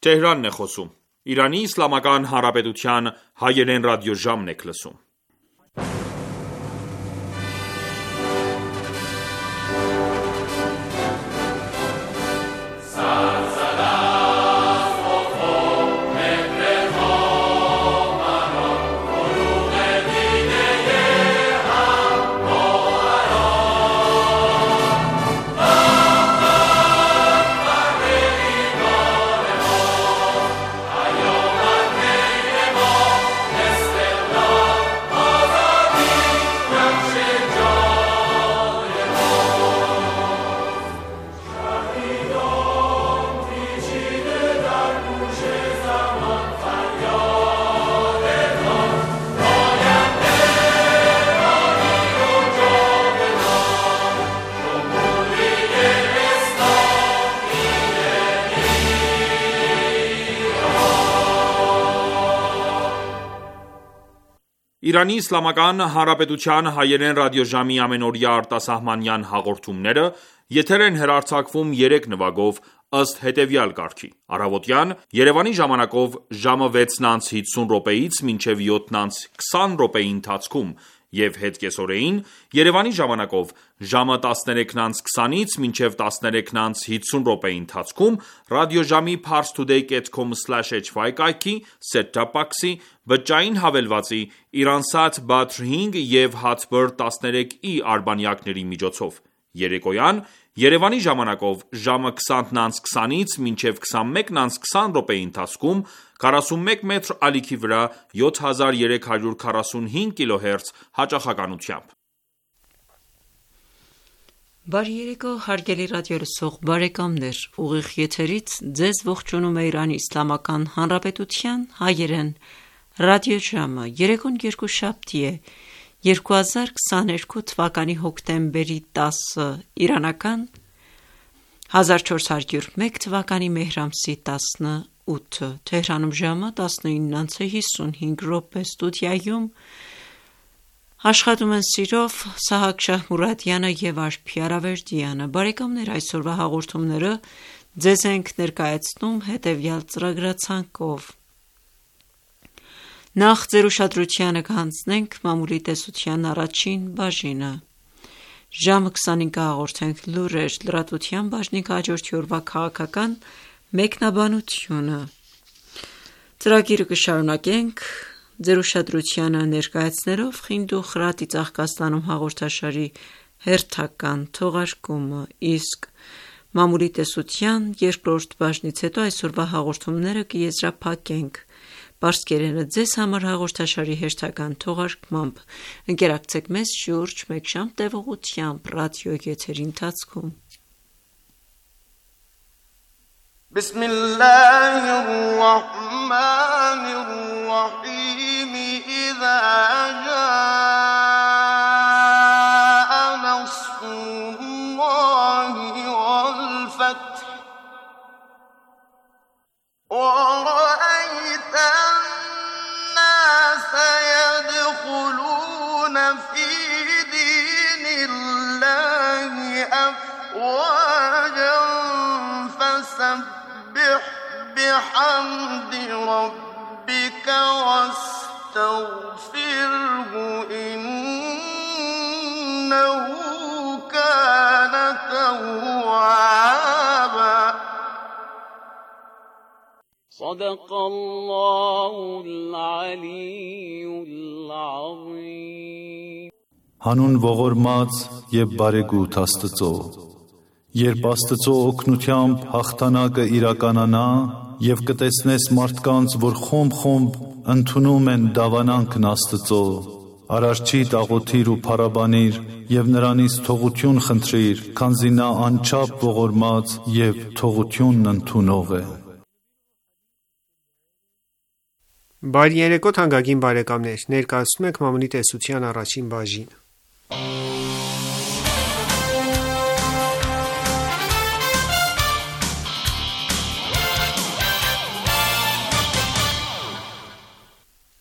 Թեհրանն է խոսում։ Իրանի Իսլամական Հանրապետության հայերեն ռադիոժամն եք լսում։ Իրանի Իսլամական Հանրապետության հայերեն ռադիոժամի ամենօրյա արտասահմանյան հաղորդումները եթեր են հեռարձակվում 3 նվագով ըստ հետևյալ կարգի. Առավոտյան Երևանի ժամանակով ժամը 6:50-ից մինչև 7:20 ընթացքում և հետկեսօրեին Երևանի ժամանակով ժամը 13:20-ից մինչև 13:50 ընթացքում ռադիոժամի parstoday.com/hy կայքի, set-top box-ի, բջջային հավելվածի, Iransat Badr 5 և Hatbird 13i արբանյակների միջոցով: Երեկոյան Երևանի ժամանակով ժամը 20:20-ից մինչև 21:20 ընթացքում 41 մետր ալիքի վրա 7345 kHz հաճախականությամբ: Բարի երեկո հարգելի ռադիոլսող բարեկամներ: Ուղիղ եթերից ձեզ ողջունում է Իրանի Իսլամական Հանրապետության հայերեն ռադիոժամը: Երեկոն երկուշաբթի է, 2022 թվականի հոկտեմբերի 10 իրանական 1401 թվականի մեհր ամսի 18 Թեհրանում ժամը 19:55 Ստուդիայում աշխատում են սիրով Սահակ Շահմուրադյանը և Արփի Արավերդյանը: Բարեկամներ, այսօրվա հաղորդումները ձեզ ենք ներկայացնում հետևյալ ծրագրացանկով: Նախ ձեր ուշադրությանը կհանձնենք մամուլի տեսության առաջին բաժինը: Ժամը 25-ը կհաղորդենք լուրեր, լրատվության բաժնի կհաջորդի օրվա քաղաքական մեկնաբանությունը: Ծրագիրը կշարունակենք ձեր ուշադրությանը ներկայացնելով «Խինդ ու խրատի ծաղկաստանում» հաղորդաշարի հերթական թողարկումը, իսկ մամուլի տեսության երկրորդ բաժնից հետո այսօրվա հաղորդումները կեզրափակենք պարսկերենը ձեզ համար հաղորդաշարի հերթական թողարկմամբ: Ընկերակցեք մեզ շուրջ մեկ ժամ տևողությամբ ռադիոեթերի ընթացքում: فسبح بحمد ربك واستغفره إنه كان توابا صدق الله العلي العظيم Հանուն ողորմած և բարեգութ Աստծո: Երբ Աստծո օգնությամբ հաղթանակը իրականանա և կտեսնես մարդկանց, որ խումբ-խումբ ընդունում են դավանանքն Աստծո, Արարչիդ աղոթիր ու փառաբանիր և նրանից թողություն խնդրիր, քանզի նա անչափ ողորմած և թողությունն ընդունող է: Բարի երեկո թանկագին բարեկամներ: Ներկայացնում ենք մամուլի տեսության առաջին բաժինը: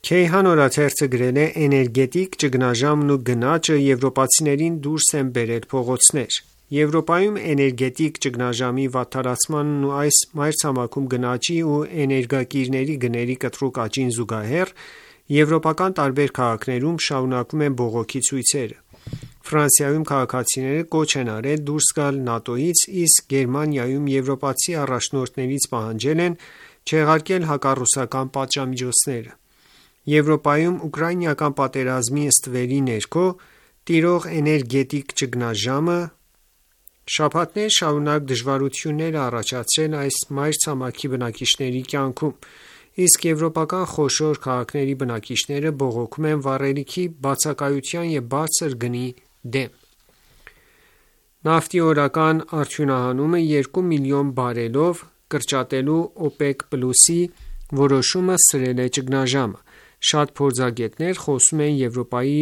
Քեյհան օրաթերթը գրել է. էներգետիկ ճգնաժամն ու գնաճը եվրոպացիներին դուրս են բերել փողոցներ: Եվրոպայում էներգետիկ ճգնաժամի վատթարացմանն ու այս մայրցամաքում գնաճի ու էներգակիրների գների կտրուկ աճին զուգահեռ եվրոպական տարբեր քաղաքներում շարունակվում են բողոքի ցույցերը։ Ֆրանսիայում քաղաքացիները կոչ են արել դուրս գալ ՆԱՏՕ-ից, իսկ Գերմանիայում եվրոպացի առաջնորդներից պահանջել են չեղարկել հակառուսական պատժամիջոցները։ Եվրոպայում ուկրաինական պատերազմի ստվերի ներքո տիրող էներգետիկ ճգնաժամը շաբաթներ շարունակ դժվարություններ է առաջացրել այս մայրցամաքի բնակիչների կյանքում, իսկ եվրոպական խոշոր քաղաքների բնակիչները բողոքում են վառելիքի բացակայության և բարձր գնի դեմ։ Նավթի օրական արդյունահանումը 2 միլիոն բարելով կրճատելու OPEC+-ի որոշումը սրել է ճգնաժամը։ Շատ փորձագետներ խոսում են Եվրոպայի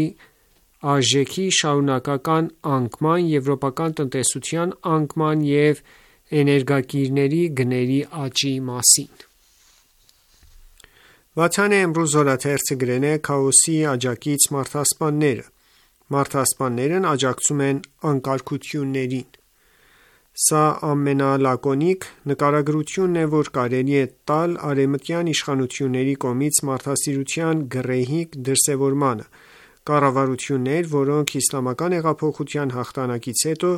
արժեքի շարունակական անկման, եվրոպական տնտեսության անկման և էներգակիրների գների աճի մասին։ Վաթանը Էմրուզ օրաթերթը գրել է «Քաոսի աջակից մարդասպանները»։ Մարդասպաններն աջակցում են անկարգություններին։ Սա ամենալակոնիկ նկարագրությունն է, որ կարելի է տալ արևմտյան իշխանությունների կողմից մարդասիրության գռեհիկ դրսևորմանը։ Կառավարություններ, որոնք իսլամական հեղափոխության հաղթանակից հետո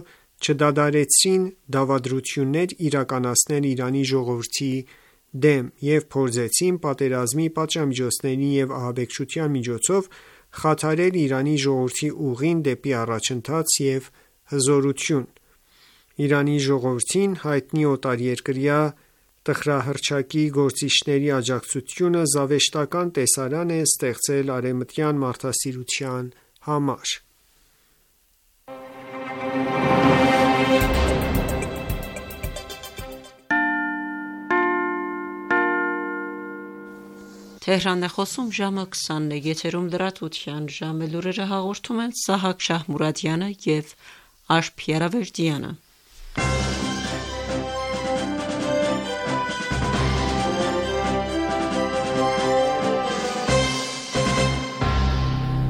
չդադարեցրին դավադրություններ իրականացնել Իրանի ժողովրդի դեմ և փորձեցին պատերազմի, պատժամիջոցների և ահաբեկչության միջոցով խաթարել Իրանի ժողովրդի ուղին դեպի առաջընթաց և հզորություն։ Իրանի ժողովրդին հայտնի օտարերկրյա տխրահռչակի գործիչների աջակցությունը զավեշտական տեսարան է ստեղծել արևմտյան մարդասիրության համար։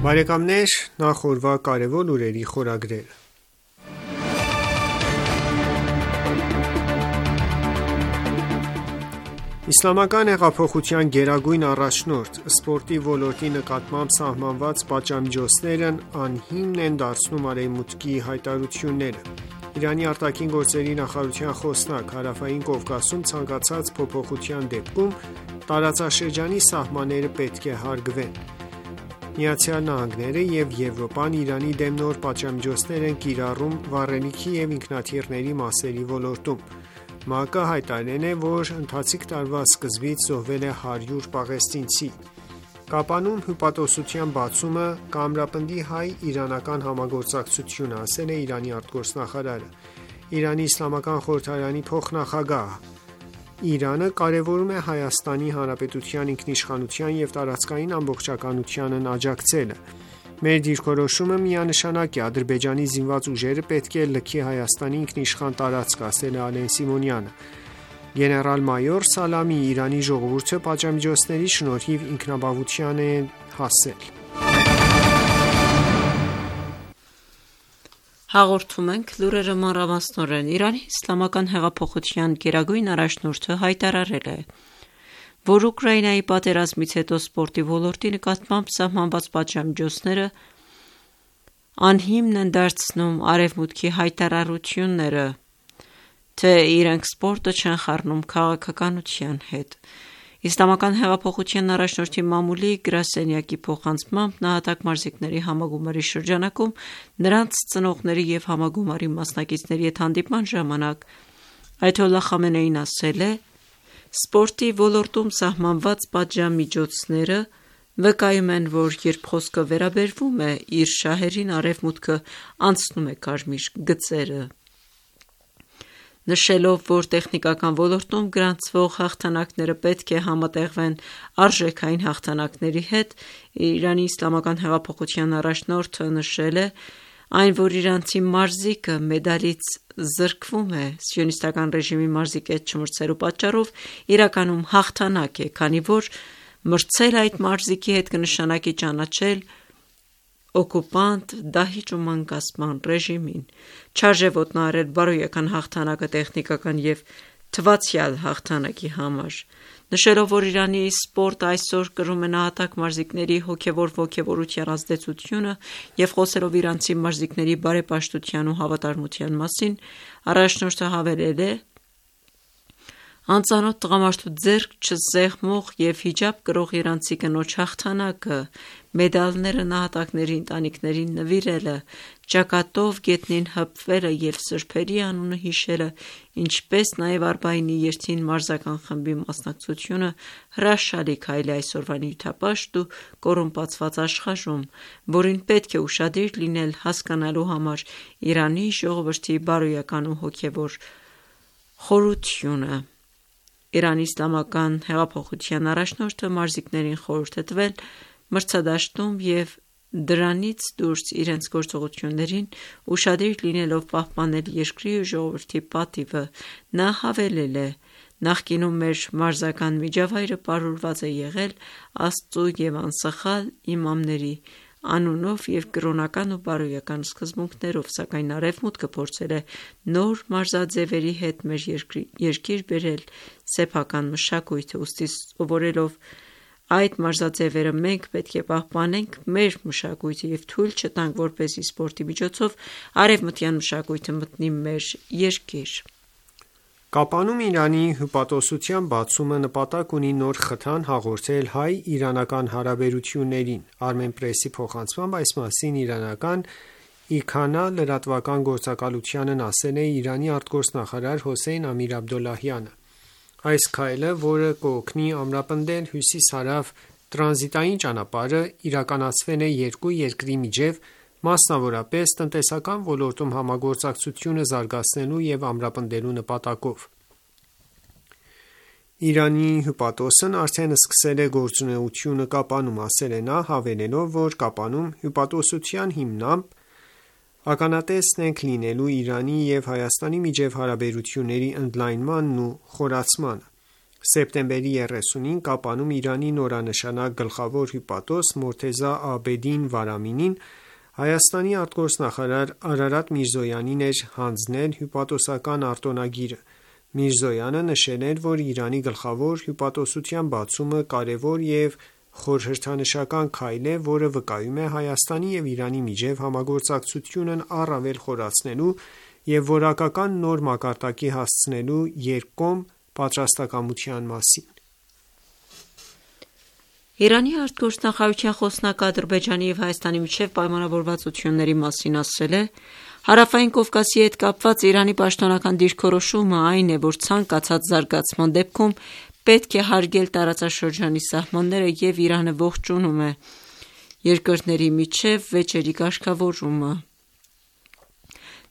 Բարեկամներ, նախ օրվա կարևոր լուրերի խորագրերը։ Իսլամական հեղափոխության գերագույն առաջնորդ սպորտի ոլորտի նկատմամբ սահմանված պատժամիջոցներն անհիմն են դարձնում Արևմուտքի հայտարարությունները։ Իրանի արտաքին գործերի նախարարության խոսնակ Հարավային Կովկասում ցանկացած փոփոխության դեպքում տարածաշրջանի սահմանները պետք է հարգվեն։ ԱՄՆ-ը և Եվրոպան Իրանի դեմ նոր պատժամիջոցներ են կիրառում վառելիքի և ինքնաթիռների մասերի ոլորտում։ ՄԱԿ-ը հայտարարել է, որ ընթացիկ տարվա սկզբից զոհվել է 100 պաղեստինցի։ Կապանում հյուպատոսության բացումը կամրապնդի հայ-իրանական համագործակցությունը, ասել է Իրանի արտգործնախարարը։ Իրանի իսլամական խորհրդարանի փոխնախագահ Իրանը կարևորում է Հայաստանի Հանրապետության ինքնիշխանության և տարածքային ամբողջականությանն աջակցելը։ Մեր դիրքորոշումը միանշանակ է, Ադրբեջանի զինված ուժերը պետք է լքի Հայաստանի ինքնիշխան տարածքը, ասել է Ալեն Սիմոնյանը։ Գեներալ-մայոր Սալամի Իրանի ժողովուրդը պատժամիջոցների շնորհիվ ինքնաբավության է հասել։ Հաղորդում ենք լուրերը մանրամասնորեն։ Իրանի իսլամական հեղափոխության գերագույն առաջնորդը հայտարարել է, որ Ուկրաինայի պատերազմից հետո սպորտի ոլորտի նկատմամբ սահմանված պատժամիջոցները անհիմն են դարձնում Արևմուտքի հայտարարությունները, թե իրենք սպորտը չեն խառնում քաղաքականության հետ։ Իսլամական հեղափոխության առաջնորդի մամուլի գրասենյակի փոխանցմամբ նահատակ մարզիկների համագումարի շրջանակում նրանց ծնողների և համագումարի մասնակիցների հետ հանդիպման ժամանակ այաթոլլահ Խամենեին ասել է. «Սպորտի ոլորտում սահմանված պատժամիջոցները վկայում են, որ երբ խոսքը վերաբերվում է իր շահերին, Արևմուտքը անցնում է կարմիր գծերը»։ Նշելով, որ տեխնիկական ոլորտում գրանցվող հաղթանակները պետք է համատեղվեն արժեքային հաղթանակների հետ, Իրանի իսլամական հեղափոխության առաջնորդը նշել է, այն, որ իրանցի մարզիկը մեդալից զրկվում է սիոնիստական ռեժիմի մարզիկի հետ չմրցելու պատճառով, իրականում հաղթանակ է, քանի որ մրցել այդ մարզիկի հետ կնշանակի ճանաչել օկուպանտ դահիճ ու մանկացման ռեժիմին, չարժե ոտնահարել բարոյական հաղթանակը տեխնիկական և թվացյալ հաղթանակի համար, նշելով, որ Իրանի սպորտը այսօր կրում է նահատակ մարզիկների հոգևոր ոգևորության ազդեցությունը և խոսելով իրանցի մարզիկների բարեպաշտության ու հավատարմության մասին, առաջնորդը հավելել է. «Անծանոթ տղամարդու ձեռք չսեղմող և հիջաբ կրող իրանցի կնոջ հաղթանակը, մեդալները նահատակների ընտանիքներին նվիրելը, ճակատով գետնին հպվելը և սրբերի անունը հիշելը, ինչպես նաև Արբաինի երթին մարզական խմբի մասնակցությունը հրաշալի քայլ է այսօրվա նյութապաշտ ու կոռումպացված աշխարհում, որին պետք է ուշադիր լինել հասկանալու համար Իրանի ժողովրդի բարոյական ու հոգևոր խորությունը»։ Իրանի իսլամական հեղափոխության առաջնորդը մարզիկներին խորհուրդ է տվել մրցադաշտում և դրանից դուրս իրենց գործողություններին ուշադիր լինելով պահպանել երկրի ու ժողովրդի պատիվը։ Նա հավելել է. «Նախկինում մեր մարզական միջավայրը պարուրված է եղել Աստծու և անսխալ իմամների անունով և կրոնական ու բարոյական սկզբունքներով, սակայն Արևմուտքը փորձել է նոր մարզաձևերի հետ մեր երկիր բերել սեփական մշակույթը, ուստի սովորելով այդ մարզաձևերը մենք պետք է պահպանենք մեր մշակույթը և թույլ չտանք, որպեսզի սպորտի միջոցով արևմտյան մշակույթը մտնի մեր երկիր»։ Կապանում Իրանի հյուպատոսության բացումը նպատակ ունի նոր խթան հաղորդել հայ-իրանական հարաբերություններին։ Armenpress-ի փոխանցմամբ այս մասին իրանական IKANA լրատվական գործակալությանն ասել է Իրանի արտգործնախարար Հոսեյն Ամիր-Աբդոլլահյանը։ Այս քայլը, որը կօգնի ամրապնդել հյուսիս-հարավ տրանզիտային ճանապարհը, իրականացվել է երկու երկրի միջև, մասնավորապես տնտեսական ոլորտում համագործակցությունը զարգացնելու և ամրապնդելու նպատակով։ Իրանի հյուպատոսն արդեն սկսել է գործունեությունը Կապանում, ասել է նա, հավելելով, որ Կապանում հյուպատոսության հիմամբ ականատեսն ենք լինելու Իրանի և Հայաստանի միջև հարաբերությունների ընդլայնմանն ու խորացմանը։ Սեպտեմբերի 30-ին Կապանում Իրանի նորանշանակ գլխավոր հյուպատոս Մորթեզա Աբեդին Վարամինին Հայաստանի արտգործնախարար Արարատ Միրզոյանին էր հանձնել հյուպատոսական արտոնագիրը։ Միրզոյանը նշել էր, որ Իրանի գլխավոր հյուպատոսության բացումը կարևոր և խորհրդանշական քայլ է, որը վկայում է Հայաստանի և Իրանի միջև համագործակցությունն առավել խորացնելու և որակական նոր մակարդակի հասցնելու երկկողմ պատրաստակամության մասին։ Իրանի արտգործնախարարության խոսնակ Ադրբեջանի և Հայաստանի միջև պայմանավորվածությունների մասին ասել է. «Հարավային Կովկասի հետ կապված Իրանի պաշտոնական դիրքորոշումը այն է, որ ցանկացած զարգացման դեպքում պետք է հարգել տարածաշրջանի սահմանները և Իրանը ողջունում է երկրների միջև վեճերի կարգավորումը»։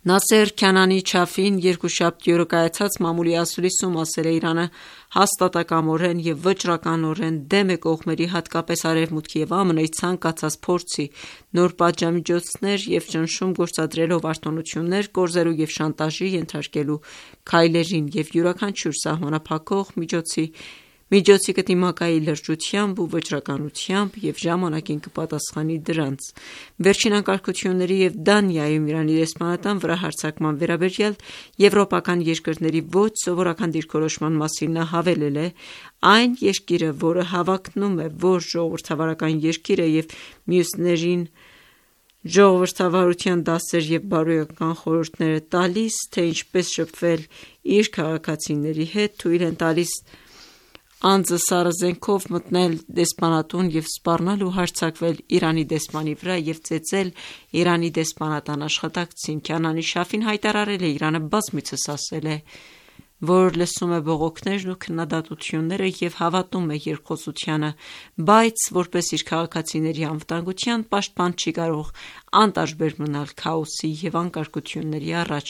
Նասեր Քանանի Չաֆին երկուշաբթի օրը կայացած մամուլի ասուլիսում ասել է. «Իրանը հաստատակամորեն և վճռականորեն դեմ է կողմերի, հատկապես Արևմուտքի և ԱՄՆ-ի ցանկացած փորձի նոր պատժամիջոցներ և ճնշում գործադրելով արտոնություններ կորզելու և շանտաժի ենթարկելու քայլերին և յուրաքանչյուր սահմանափակող միջոցի կդիմակայի լրջությամբ ու վճռականությամբ և ժամանակին կպատասխանի դրանց»։ Վերջին անկարգությունների և Դանիայում Իրանի դեսպանատան վրա հարձակման վերաբերյալ եվրոպական երկրների ոչ սովորական դիրքորոշման մասին նա հավելել է. «Այն երկիրը, որը հավակնում է, որ ժողովրդավարական երկիր է և մյուսներին ժողովրդավարության դասեր և բարոյական խորհուրդներ է տալիս, թե ինչպես շփվել իր քաղաքացիների հետ, թույլ են տալիս անձը սառը զենքով մտնել դեսպանատուն և սպառնալ ու հարձակվել Իրանի դեսպանի վրա և ծեծել Իրանի դեսպանատան աշխատակցին»։ Քանանի Չաֆին հայտարարել է. «Իրանը բազմիցս ասել է, որ լսում է բողոքներն ու քննադատությունները և հավատում է երկխոսությանը, բայց որպես իր քաղաքացիների անվտանգության պաշտպան չի կարող անտարբեր մնալ քաոսի և անկարգությունների առաջ»։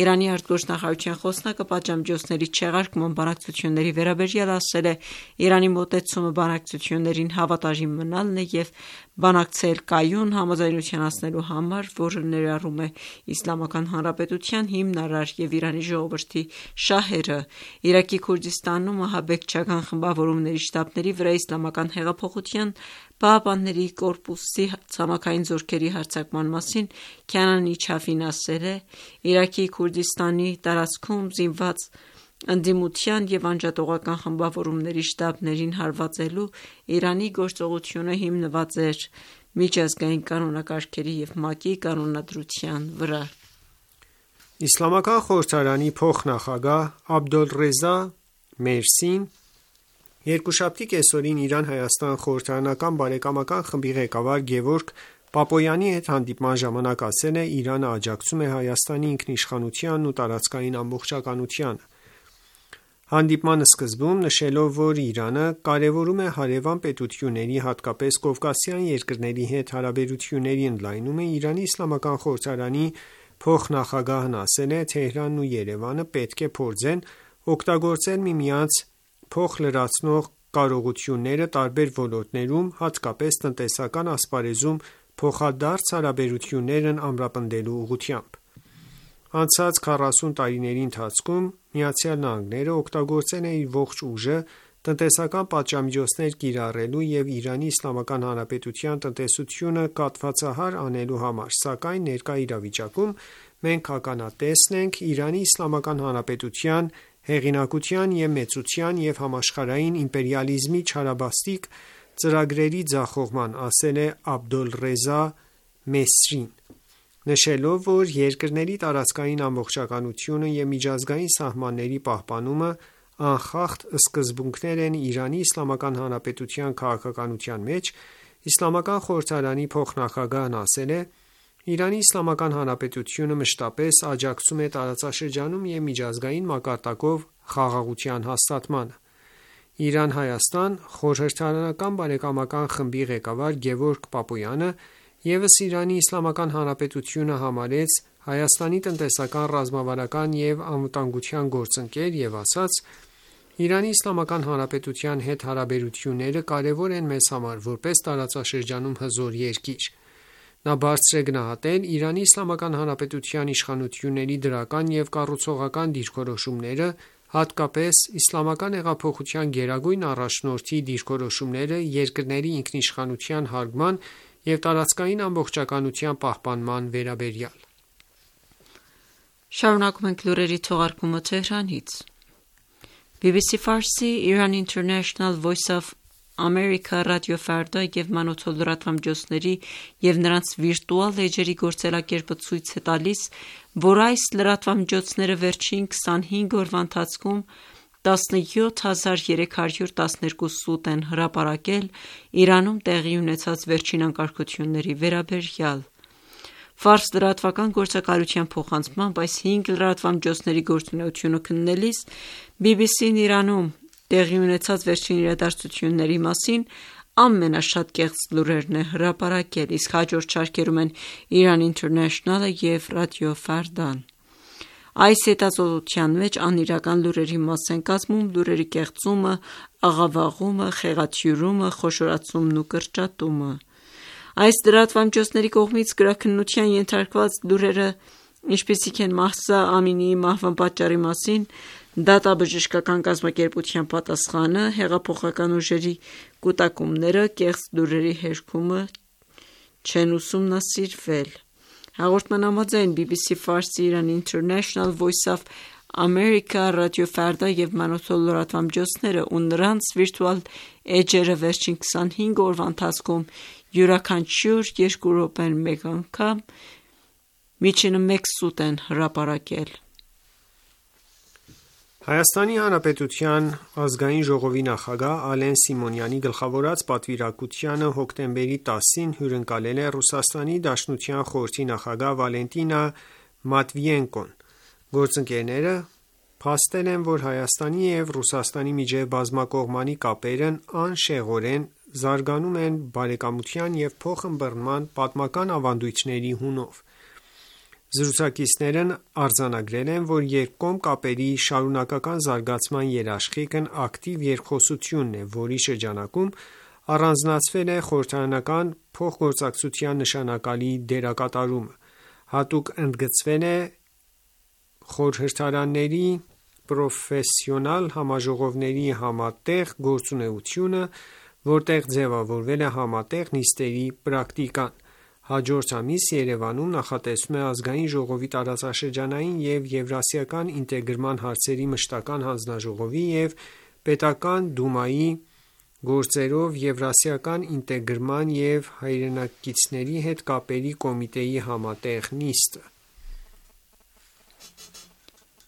Իրանի արտգործնախարարության խոսնակը պատժամիջոցների չեղարկման բանակցությունների վերաբերյալ ասել է. «Իրանի մոտեցումը բանակցություններին հավատարիմ մնալն է և բանակցել կայուն համաձայնության հասնելու համար, որը ներառում է Իսլամական Հանրապետության հիմնարար և Իրանի ժողովրդի շահերը մահերը։ Իրաքի Քուրդիստանում ահաբեկչական խմբավորումների շտաբների վրա Իսլամական հեղափոխության պահապանների կորպուսի ցամաքային զորքերի հարձակման մասին Քանանի Չաֆին ասել է. Իրաքի Քուրդիստանի տարածքում զինված ընդդիմության և անջատողական խմբավորումների շտաբներին հարվածելու Իրանի գործողությունը հիմնված էր միջազգային կանոնակարգերի և ՄԱԿ-ի կանոնադրության վրա։ Իսլամական խորհրդարանի փոխնախագահ Աբդոլռեզա Մերսին երկուշաբթի կեսօրին Իրան-Հայաստան խորհրդարանական բարեկամական խմբի ղեկավար Գևորգ Պապոյանի հետ հանդիպման ժամանակ ասել է. Իրանը աջակցում է Հայաստանի ինքնիշխանությանն ու տարածքային ամբողջականությանը։ Հանդիպման սկզբում նշելով, որ Իրանը կարևորում է հարևան պետությունների, հատկապես կովկասյան երկրների հետ հարաբերությունների ընդլայնումը, Իրանի իսլամական խորհրդարանի փոխնախագահն ասել է. Թեհրանն ու Երևանը պետք է փորձեն օգտագործել միմյանց փոխլրացնող կարողությունները տարբեր ոլորտներում, հատկապես տնտեսական ասպարեզում փոխադարձ հարաբերություններն ամրապնդելու ուղղությամբ։ Անցած 40 տարիների ընթացքում ԱՄՆ-ն օգտագործել է իր ողջ ուժը տնտեսական պատժամիջոցներ կիրառելու և Իրանի Իսլամական Հանրապետության տնտեսությունը կաթվածահար անելու համար, սակայն ներկա իրավիճակում մենք ականատեսն ենք Իրանի Իսլամական Հանրապետության հեղինակության և մեծության և համաշխարհային իմպերիալիզմի չարաբաստիկ ծրագրերի ձախողման, ասել է Աբդոլռեզա Մեսրին, նշելով, որ երկրների տարածքային ամբողջականությունը և միջազգային սահմանների պահպանումը անխախտ սկզբունքներ են Իրանի Իսլամական Հանրապետության քաղաքականության մեջ, Իսլամական խորհրդարանի փոխնախագահն ասել է. Իրանի Իսլամական Հանրապետությունը մշտապես աջակցում է տարածաշրջանում և միջազգային մակարդակով խաղաղության հաստատմանը։ Իրան-Հայաստան խորհրդարանական բարեկամական խմբի ղեկավար Գևորգ Պապոյանը ևս Իրանի Իսլամական Հանրապետությունը համարեց Հայաստանի տնտեսական, ռազմավարական և անվտանգության գործընկեր և ասաց. Իրանի Իսլամական Հանրապետության հետ հարաբերությունները կարևոր են մեզ համար, որպես տարածաշրջանում հզոր երկիր։ Նա բարձր է գնահատել Իրանի Իսլամական Հանրապետության իշխանությունների դրական և կառուցողական դիրքորոշումները, հատկապես Իսլամական հեղափոխության գերագույն առաջնորդի դիրքորոշումները երկրների ինքնիշխանության հարգման և տարածքային ամբողջականության պահպանման վերաբերյալ։ Շարունակում ենք լուրերի թողարկումը Թեհրանից։ BBC Ֆարսի, Iran International Voice of America ռադիոֆարդա և մանոթով լրատվամիջոցների և նրանց վիրտուալ էջերի գործելակերպը ցույց է տալիս, որ այս լրատվամիջոցները վերջին 25 օրվա ընթացքում 17312 սուտ են հրապարակել Իրանում տեղի ունեցած վերջին անկարգությունների վերաբերյալ։ Ֆարս լրատվական գործակալության փոխանցմամբ այս 5 լրատվամիջոցների գործունեությունը քննելիս BBC-ն Իրանում տեղի ունեցած վերջին իրադարձությունների մասին ամենաշատ կեղծ լուրերն է հրապարակել, իսկ հաջորդ շարքերում են Iran International-ը և ռադիո Ֆարդան։ Այս հետազոտության մեջ անիրական լուրերի մաս են կազմում լուրերի կեղծումը, աղավաղումը, խեղաթյուրումը, խոշորացումն ու կրճատումը։ Այս լրատվամիջոցների կողմից գրաքննության ենթարկված լուրերը, ինչպիսիք են Մահսա Ամինիի մահվան պատճառի մասին դատաբժշկական կազմակերպության պատասխանը, հեղափոխական ուժերի կուտակումները, կեղծ լուրերի հերքումը չեն ուսումնասիրվել։ Հաղորդման համաձայն BBC Ֆարսի, Iran International Voice of America ռադիոֆարդա և մանոթով լրատվամիջոցները ու նրանց վիրտուալ էջերը վերջին 25 օրվա ընթացքում յուրաքանչյուր 2 րոպեն մեկ անգամ միջինը 1 սուտ են հրապարակել։ Հայաստանի Հանրապետության ազգային ժողովի նախագահ Ալեն Սիմոնյանի գլխավորած պատվիրակությանը հոկտեմբերի 10-ին հյուրընկալել է Ռուսաստանի Դաշնության խորհրդի նախագահ Վալենտինա Մատվիենկոն։ Գործընկերները փաստել են, որ Հայաստանի և Ռուսաստանի միջև բազմակողմանի կապերն անշեղորեն զարգանում են բարեկամության և փոխըմբռնման պատմական ավանդույթների հունով։ Զրուցակիցներն արձանագրել են, որ երկկողմ կապերի շարունակական զարգացման երաշխիքն ակտիվ երկխոսությունն է, որի շրջանակում առանձնացվել է խորհրդարանական փոխգործակցության նշանակալի դերակատարումը, հատուկ ընդգծվել է խորհրդարանների պրոֆեսիոնալ համաժողովների համատեղ գործունեությունը, որտեղ ձևավորվել է համատեղ նիստերի պրակտիկան։ Հաջորդ ամիս Երևանում նախատեսվում է Ազգային ժողովի տարածաշրջանային և Եվրասիական ինտեգրման հարցերի մշտական հանձնաժողովի և Պետական դումայի գործերով Եվրասիական ինտեգրման և հայրենակիցների հետ կապերի կոմիտեի համատեղ նիստը։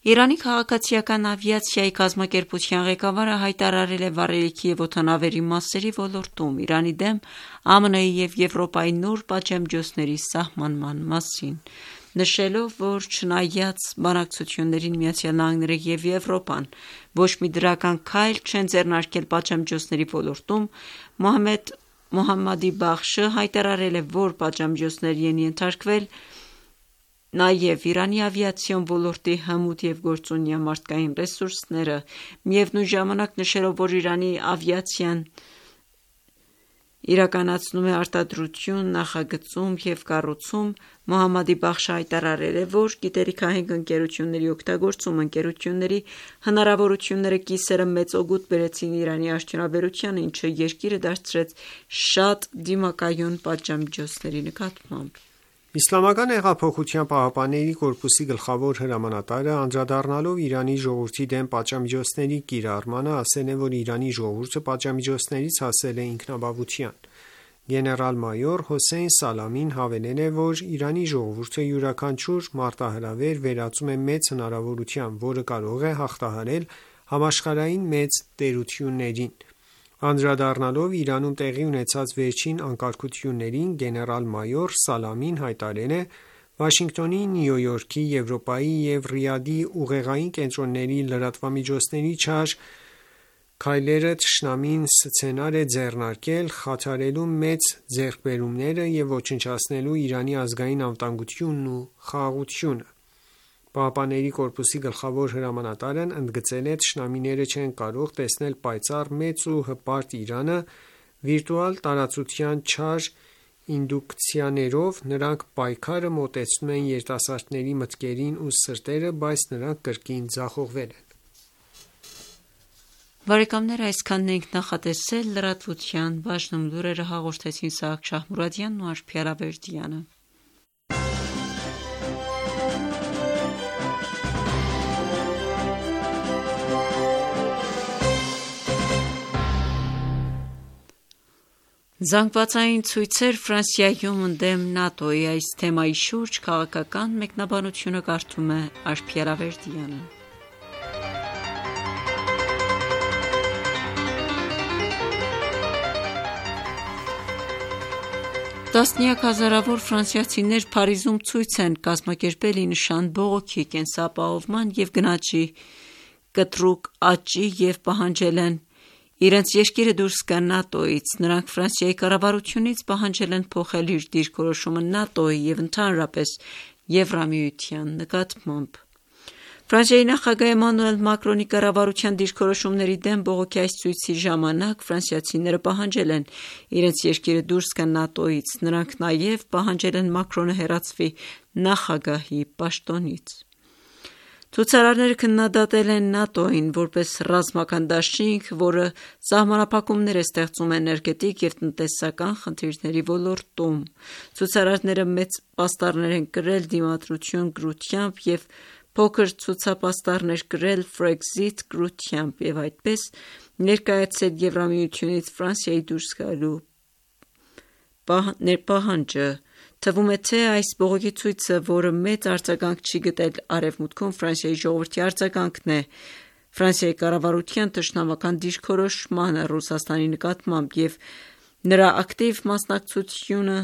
Իրանի քաղաքացիական ավիացիայի կազմակերպության ղեկավարը հայտարարել է վառելիքի և օդանավերի մասերի ոլորտում Իրանի դեմ ԱՄՆ-ի և Եվրոպայի նոր պատժամիջոցների սահմանման մասին, նշելով, որ չնայած բանակցություններին ԱՄՆ-ը և Եվրոպան ոչ մի դրական քայլ չեն ձեռնարկել պատժամիջոցների ոլորտում, Մոհամմադի Բախշը հայտարարել է, որ պատժամիջոցների են ենթարկվել նաև Իրանի ավիացիոն ոլորտի հմուտ և գործունյա մարդկային ռեսուրսները, միևնույն ժամանակ նշելով, որ Իրանի ավիացիան իրականացնում է արտադրություն, նախագծում և կառուցում, Մոհամմադի Բախշը հայտարարել է, որ գիտելիքահենք ընկերությունների օգտագործումը ընկերությունների հնարավորությունները կիսելը մեծ օգուտ բերեցին Իրանի արդյունաբերությանը, ինչը երկիրը դարձրեց շատ դիմակայուն պատժամիջոցների նկատմամբ։ Իսլամական հեղափոխության պահապանների կորպուսի գլխավոր հրամանատարը, անդրադառնալով Իրանի ժողովրդի դեմ պատժամիջոցների կիրառմանը, ասել է, որ Իրանի ժողովուրդը պատժամիջոցներից հասել է ինքնաբավության։ Գեներալ-մայոր Հոսեյն Սալամին հավելել է, որ Իրանի ժողովուրդը յուրաքանչյուր մարտահրավեր վերածում է մեծ հնարավորության, որը կարող է հաղթահարել համաշխարհային մեծ տերություններին։ Անդրադառնալով Իրանում տեղի ունեցած վերջին անկարգություններին, գեներալ-մայոր Սալամին հայտարարել է. «Վաշինգտոնի, Նյու Յորքի, Եվրոպայի և Ռիադի ուղեղային կենտրոնների լրատվամիջոցների չար քայլերը թշնամին սցենար է ձեռնարկել՝ խաթարելու մեծ ձեռքբերումները և ոչնչացնելու Իրանի ազգային անվտանգությունն ու խաղաղությունը»։ ԻՀՊԿ-ի գլխավոր հրամանատարն ընդգծել է. «Թշնամիները չեն կարող տեսնել պայծառ, մեծ ու հպարտ Իրանը վիրտուալ տարածության չար ինդուկցիաներով, նրանք պայքարը մոտեցնում են երիտասարդների մտքերին ու սրտերը, բայց նրանք կրկին ձախողվել են»։ Այսքանն ենք նախատեսել լրատվության բաժնում լուրերը հաղորդեցին Սաակ Շահմուրադյանն ու Աշխարհ Ալավերդյանը։ Զանգվածային ցույցեր Ֆրանսիայում ընդդեմ ՆԱՏՕ-ի, այս թեմայի շուրջ քաղաքական մեկնաբանությունը կարդում է Աշխարհ Ալավերդյանը։ Տասնյակ հազարավոր ֆրանսիացիներ Փարիզում ցույց են կազմակերպել ի նշան բողոքի, կենսապահովման և գնաճի կտրուկ աճի և պահանջել են իրենց երկիրը դուրս գա ՆԱՏՕ-ից։ Նրանք Ֆրանսիայի կառավարությունից պահանջել են փոխել իր դիրքորոշումը ՆԱՏՕ-ի և ընդհանրապես Եվրամիության նկատմամբ։ Ֆրանսիայի նախագահ Էմանուել Մակրոնի կառավարության դիրքորոշումների դեմ բողոքի այս ցույցի ժամանակ ֆրանսիացիները պահանջել են իրենց երկիրը դուրս գա ՆԱՏՕ-ից։ Նրանք նաև պահանջել են Մակրոնը հեռացվի նախագահի պաշտոնից։ Ցուցարարները քննադատել են ՆԱՏՕ-ին որպես ռազմական դաշինք, որը սահմանափակումներ է ստեղծում էներգետիկ և տնտեսական խնդիրների ոլորտում։ Ցուցարարները մեծ պաստառներ են կրել դիմադրություն կրությամբ և փոքր ցուցապաստառներ կրել Frexit կրությամբ և այդպես ներկայացրել Եվրամիությունից Ֆրանսիայի դուրս գալու պահանջը։ Թվում է, թե այս բողոքի ցույցը, որը մեծ արձագանք չի գտել Արևմուտքում, Ֆրանսիայի ժողովրդի արձագանքն է Ֆրանսիայի կառավարության թշնամական դիրքորոշմանը Ռուսաստանի նկատմամբ և նրա ակտիվ մասնակցությունը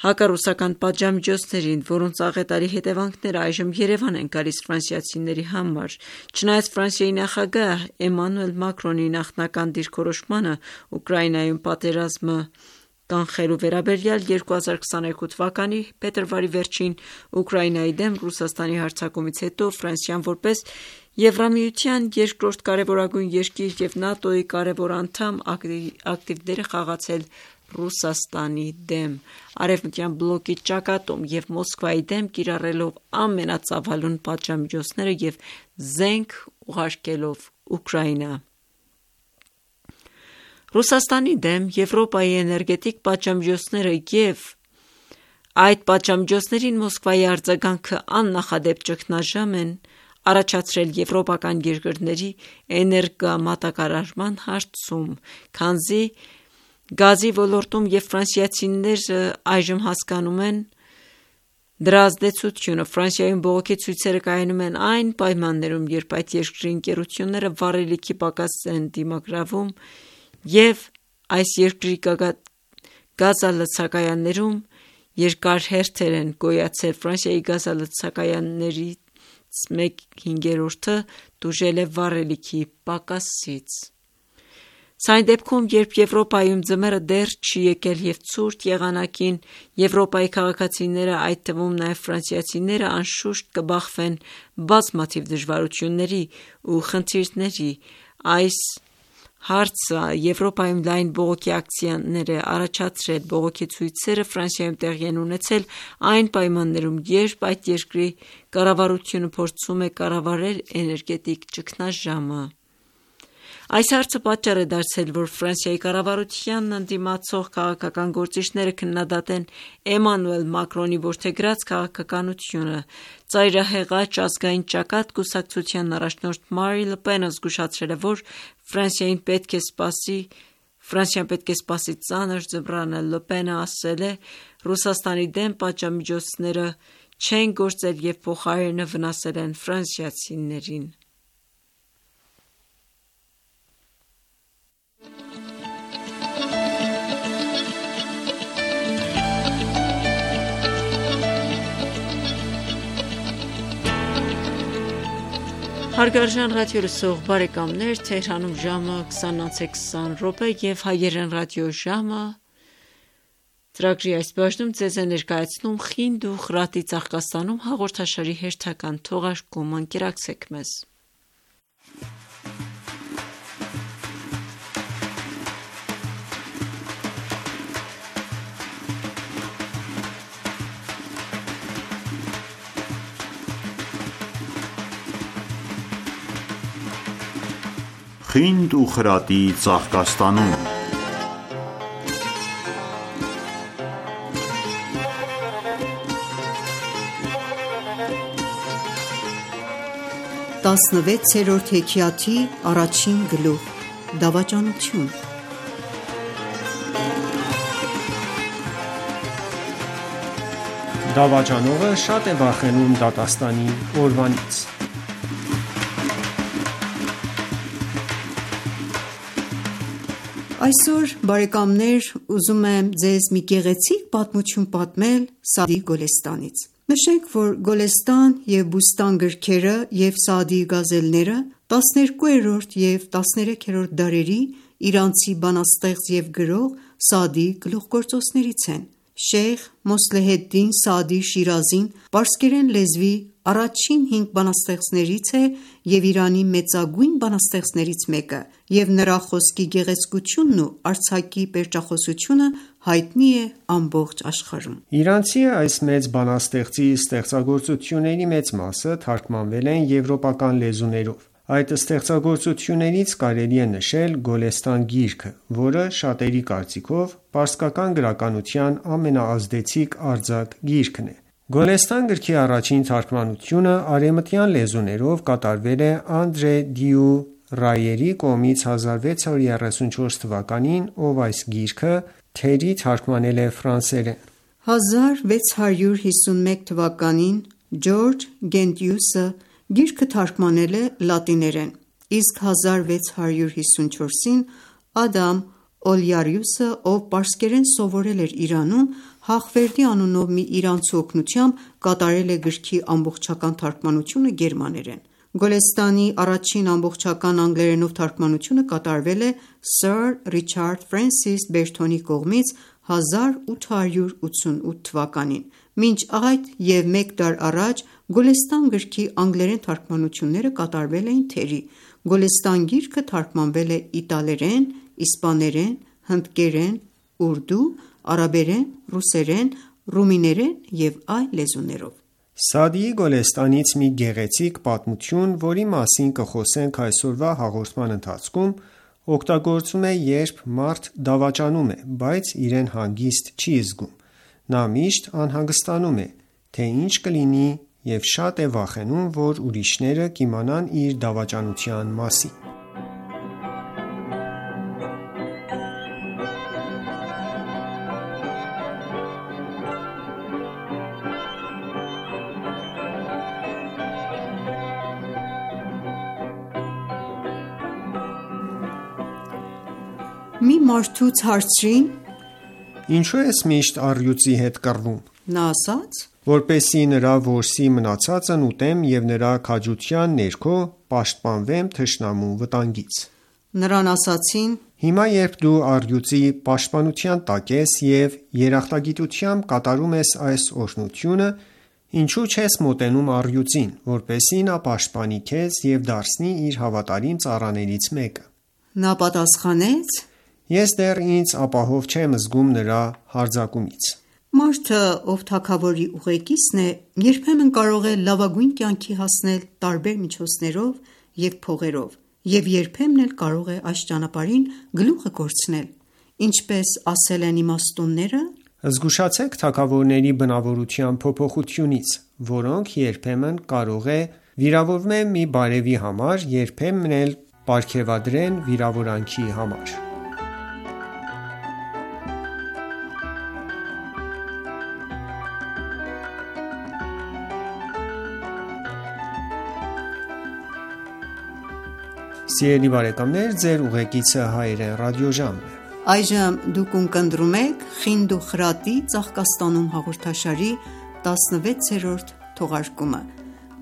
հակառուսական պատժամիջոցներին, որոնց աղետալի հետևանքները այժմ Երևան են գալիս ֆրանսիացիների համար։ Չնայած Ֆրանսիայի նախագահ Էմանուել Մակրոնի նախնական դիրքորոշմանը Ուկրաինայում պատերազմը կանխելու վերաբերյալ 2022 թվականի փետրվարի վերջին Ուկրաինայի դեմ Ռուսաստանի հարձակումից հետո Ֆրանսիան որպես Եվրամիության երկրորդ կարևորագույն երկիր և ՆԱՏՕ-ի կարևոր անդամ ակտիվ դեր է խաղացել Ռուսաստանի դեմ, Արևմտյան բլոկի ճակատում և Մոսկվայի դեմ կիրառելով ամենածավալուն պատժամիջոցները և զենք ուղարկելով Ուկրաինա։ Ռուսաստանի դեմ Եվրոպայի էներգետիկ պատժամիջոցները և այդ պատժամիջոցներին Մոսկվայի արձագանքը աննախադեպ ճգնաժամ են առաջացրել եվրոպական երկրների էներգամատակարարման հարցում, քանզի գազի ոլորտում և ֆրանսիացիները այժմ հասկանում են դրա ազդեցությունը։ Ֆրանսիայում բողոքի ցույցերը կայանում են այն պայմաններում, երբ այդ երկրի ընկերությունները վառելիքի պակաս են դիմագրավում և այս երկրի գազալցակայաններում երկար հերթեր են գոյացել։ Ֆրանսիայի գազալցակայաններից 1/5-ը տուժել է վառելիքի պակասից։ Սա այն դեպքում, երբ Եվրոպայում ձմեռը դեռ չի եկել և ցուրտ եղանակին Եվրոպայի քաղաքացիները, այդ թվում նաև ֆրանսիացիները, անշուշտ կբախվեն բազմաթիվ դժվարությունների ու խնդիրների։ Այս հարցը Եվրոպայում լայն բողոքի ակցիաներ է առաջացրել։ Բողոքի ցույցերը Ֆրանսիայում տեղի են ունեցել այն պայմաններում, երբ այդ երկրի կառավարությունը փորձում է կառավարել էներգետիկ ճգնաժամը։ Այս հարցը պատճառ է դարձել, որ Ֆրանսիայի կառավարությանն ընդդիմացող քաղաքական գործիչները քննադատեն Էմանուել Մակրոնի որդեգրած քաղաքականությունը։ Ծայրահեղաջ ազգային ճակատ կուսակցության առաջնորդ Մարին Լը Պենը զգուշացրել է, որ Ֆրանսիան պետք է սպասի ծանր ձմռանը։ Լը Պենը ասել է. «Ռուսաստանի դեմ պատժամիջոցները չեն գործել և փոխարենը վնասել են ֆրանսիացիներին»։ Հարգարժան ռադիոլսող բարեկամներ, Թեհրանում ժամը 20:20 և հայերեն ռադիոժամը ծրագրի այս բաժնում ձեզ է ներկայացնում «Խինդ ու խրատի ծաղկաստանում» հաղորդաշարի հերթական թողարկումը։ Ընկերակցեք մեզ։ Խինդ ու խրատի ծաղկաստանում 16-րդ հեքիաթի առաջին գլուխ՝ Դավաճանություն։ Դավաճանողը շատ է վախենում դատաստանի օրվանից։ Այսօր, բարեկամներ, ուզում եմ ձեզ մի գեղեցիկ պատմություն պատմել Սաադիի Գոլեստանից։ Նշենք, որ Գոլեստան և Բուստան գրքերը և Սաադիի գազելները 12-րդ և 13-րդ դարերի իրանցի բանաստեղծ և գրող Սաադիի գլուխգործոցներից են։ Շեյխ Մոսլեհեդդին Սաադի Շիրազին պարսկերեն լեզվի առաջին 5 բանաստեղծներից է և Իրանի մեծագույն բանաստեղծներից մեկը, և նրա խոսքի գեղեցկությունն ու արձակի պերճախոսությունը հայտնի է ամբողջ աշխարհում։ Իրանցի այս մեծ բանաստեղծի ստեղծագործությունների մեծ մասը թարգմանվել են եվրոպական լեզուներով։ Այդ ստեղծագործություններից կարելի է նշել Գոլեստան գիրքը, որը շատերի կարծիքով պարսկական գրականության ամենաազդեցիկ արձակ գիրքն է։ Գոլեստան գրքի առաջին թարգմանությունը արևմտյան լեզուներով կատարվել է Անդրե Դյու Ռայերի կողմից 1634 թվականին, ով այս գիրքը թերի թարգմանել է ֆրանսերեն։ 1651 թվականին Ջորջ Գենտիուսը գիրքը թարգմանել է լատիներեն, իսկ 1654-ին Ադամ Օլյարիուսը, ով պարսկերեն սովորել էր Իրանում, Հաղվերդի անունով մի իրանցու օգնությամբ կատարել է գրքի ամբողջական թարգմանությունը գերմաներեն։ Գոլեստանի առաջին ամբողջական անգլերենով թարգմանությունը կատարվել է Սըր Ռիչարդ Ֆրենսիս Բերթոնի կողմից 1888 թվականին։ Մինչ այդ և մեկ դար առաջ Գոլեստան գրքի անգլերեն թարգմանությունները կատարվել էին թերի։ Գոլեստան գիրքը թարգմանվել է իտալերեն, իսպաներեն, հնդկերեն, ուրդու, արաբերեն, ռուսերեն, ռումիներեն և այլ լեզուներով։ Սադիի Գոլեստանից մի գեղեցիկ պատմություն, որի մասին կխոսենք այսօրվա հաղորդման ընթացքում, օգտագործվում է, երբ մարդ դավաճանում է, բայց իրեն հանգիստ չի զգում։ Նա միշտ անհանգստանում է, թե ինչ կլինի և շատ է վախենում, որ ուրիշները կիմանան իր դավաճանության մասին։ Մի մարդուց հարցրին. Ինչու ես միշտ առյուծի հետ կռվում։ Նա ասաց. Որպեսզի նրա որսի մնացածն ուտեմ և նրա քաջության ներքո պաշտպանվեմ թշնամու վտանգից։ Նրան ասացին. Հիմա երբ դու առյուծի պաշտպանության տակ ես և երախտագիտությամբ կատարում ես այս օրհնությունը, ինչու չես մոտենում առյուծին, որպեսզի նա պաշտպանի քեզ և դարձնի իր հավատարիմ ծառաներից մեկը։ Նա պատասխանեց. Ես դեռ ինձ ապահով չեմ զգում նրա հարձակումից։ Մարդը, ով թագավորի ուղեկիցն է, երբեմն կարող է լավագույն կյանքի հասնել տարբեր միջոցներով և փողերով, և երբեմն էլ կարող է այս ճանապարհին գլուխը կորցնել։ Ինչպես ասել են իմաստունները. Զգուշացեք թագավորների բնավորության փոփոխությունից, որոնք երբեմն կարող է վիրավորվեն մի բարևի համար, երբեմն էլ պարգևատրեն վիրավորանքի համար։ Սիրելի բարեկամներ, ձեր ուղեկիցը հայերեն ռադիոժամն է։ Այժմ դուք ունկնդրում եք «Խինդ ու խրատի ծաղկաստանում» հաղորդաշարի 16-րդ թողարկումը,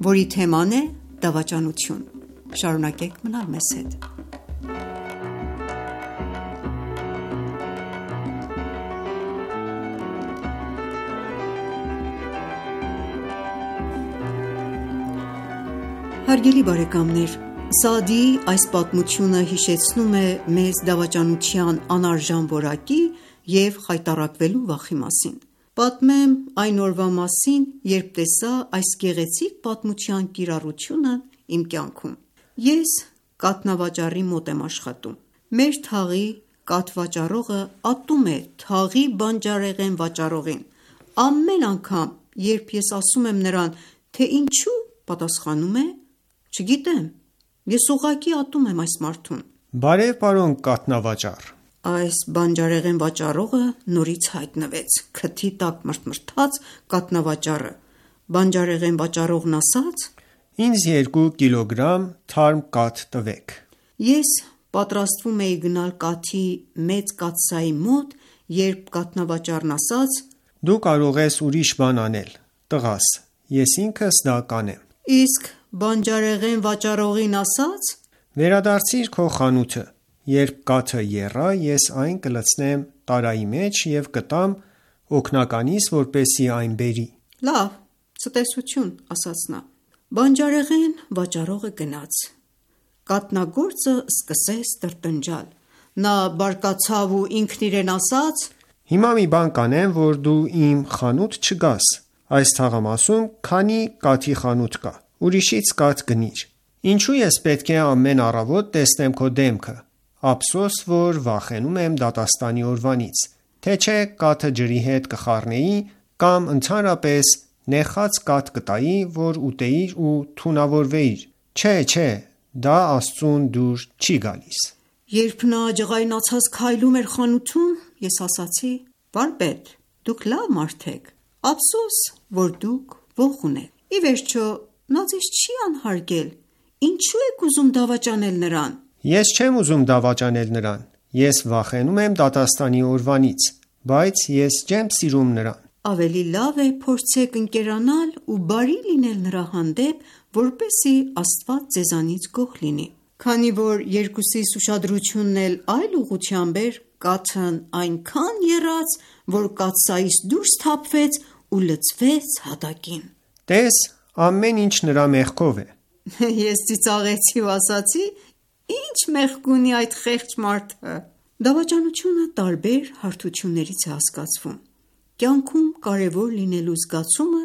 որի թեման է դավաճանություն։ Շարունակեք մնալ մեզ հետ։ Հարգելի բարեկամներ, Սաադիի այս պատմությունը հիշեցնում է մեզ դավաճանության անարժան որակի և խայտառակվելու վախի մասին։ Պատմեմ այն օրվա մասին, երբ տեսա այս գեղեցիկ պատմության կիրառությունը իմ կյանքում։ Ես կաթնավաճառի մոտ եմ աշխատում։ Մեր թաղի կաթ վաճառողը ատում է թաղի բանջարեղեն վաճառողին։ Ամեն անգամ, երբ ես ասում եմ նրան, թե ինչու, պատասխանում է. Չգիտեմ, ես ուղղակի ատում եմ այս մարդուն։ Բարև պարոն կաթնավաճառ։ Այս բանջարեղեն վաճառողը նորից հայտնվեց, քթի տակ մրթմրթաց կաթնավաճառը։ Բանջարեղեն վաճառողն ասաց. Ինձ 2 կիլոգրամ թարմ կաթ տվեք։ Ես պատրաստվում էի գնալ կաթի մեծ կաթսայի մոտ, երբ կաթնավաճառն ասաց. Դու կարող ես ուրիշ բան անել, տղաս, ես ինքս դա կանեմ։ Իսկ բանջարեղեն վաճառողին ասաց. Վերադարձիր քո խանութը, երբ կաթը եռա, ես այն կլցնեմ տարայի մեջ և կտամ օգնականիս, որպեսզի այն բերի։ Լավ, ցտեսություն, ասաց նա։ Բանջարեղեն վաճառողը գնաց։ Կաթնագործը սկսեց տրտնջալ։ Նա բարկացավ ու ինքն իրեն ասաց. Հիմա մի բան կանեմ, որ դու իմ խանութ չգաս։ Այս թաղամասում քանի կաթի խանութ կա։ Ուրիշից կաթ գնիր։ Ինչու ես պետք է ամեն առավոտ տեսնեմ քո դեմքը։ Ափսոս, որ վախենում եմ դատաստանի օրվանից, թե չէ կաթը ջրի հետ կխառնեի կամ ընդհանրապես նեխած կաթ կտայի, որ ուտեիր ու թունավորվեիր։ Չէ, դա Աստծուն դուր չի գալիս։ Երբ նա ջղայնացած քայլում էր խանութում, ես ասացի. Վարպետ, դուք լավ մարդ եք։ Ափսոս, որ դուք ոխ ունեք։ Ի վերջո, նա ձեզ չի անհարգել։ Ինչու եք ուզում դավաճանել նրան։ Ես չեմ ուզում դավաճանել նրան։ Ես վախենում եմ դատաստանի օրվանից, բայց ես չեմ սիրում նրան։ Ավելի լավ է փորձեք ընկերանալ ու բարի լինել նրա հանդեպ, որպեսզի Աստված ձեզանից գոհ լինի։ Քանի որ երկուսիս ուշադրությունն էլ այլ ուղղությամբ էր, կաթն այնքան եռաց, որ կաթսայից դուրս թափվեց ու լցվեց հատակին։ Տես, ամեն ինչ նրա մեղքով է։ Ես ծիծաղեցի ու ասացի. Ինչ մեղք ունի այդ խեղճ մարդը։ Դավաճանությունը տարբեր հարթություններից է հասկացվում։ Կյանքում կարևոր լինելու զգացումը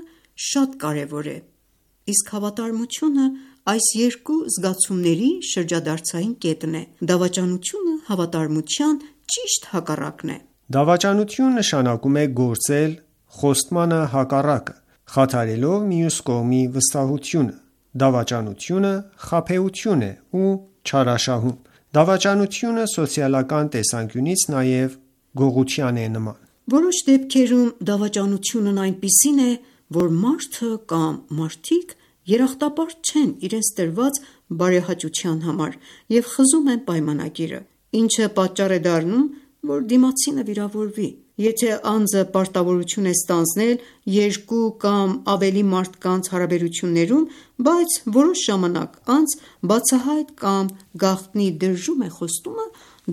շատ կարևոր է, իսկ հավատարմությունը այս երկու զգացումների շրջադարձային կետն է։ Դավաճանությունը հավատարմության ճիշտ հակառակն է։ Դավաճանություն նշանակում է գործել խոստմանը հակառակը, խաթարելով մյուս կողմի վստահությունը։ Դավաճանությունը խաբեություն է ու չարաշահում։ Դավաճանությունը սոցիալական տեսանկյունից նաև գողության է նման։ Որոշ դեպքերում դավաճանությունն այնպիսին է, որ մարդը կամ մարդիկ երախտապարտ չեն իրենց տրված բարեհաճության համար և խզում են պայմանագիրը, ինչը պատճառ է դառնում, որ դիմացինը վիրավորվի։ Եթե անձը պարտավորություն է ստանձնել երկու կամ ավելի մարդկանց հարաբերություններում, բայց որոշ ժամանակ անց բացահայտ կամ գաղտնի դրժում է խոստումը,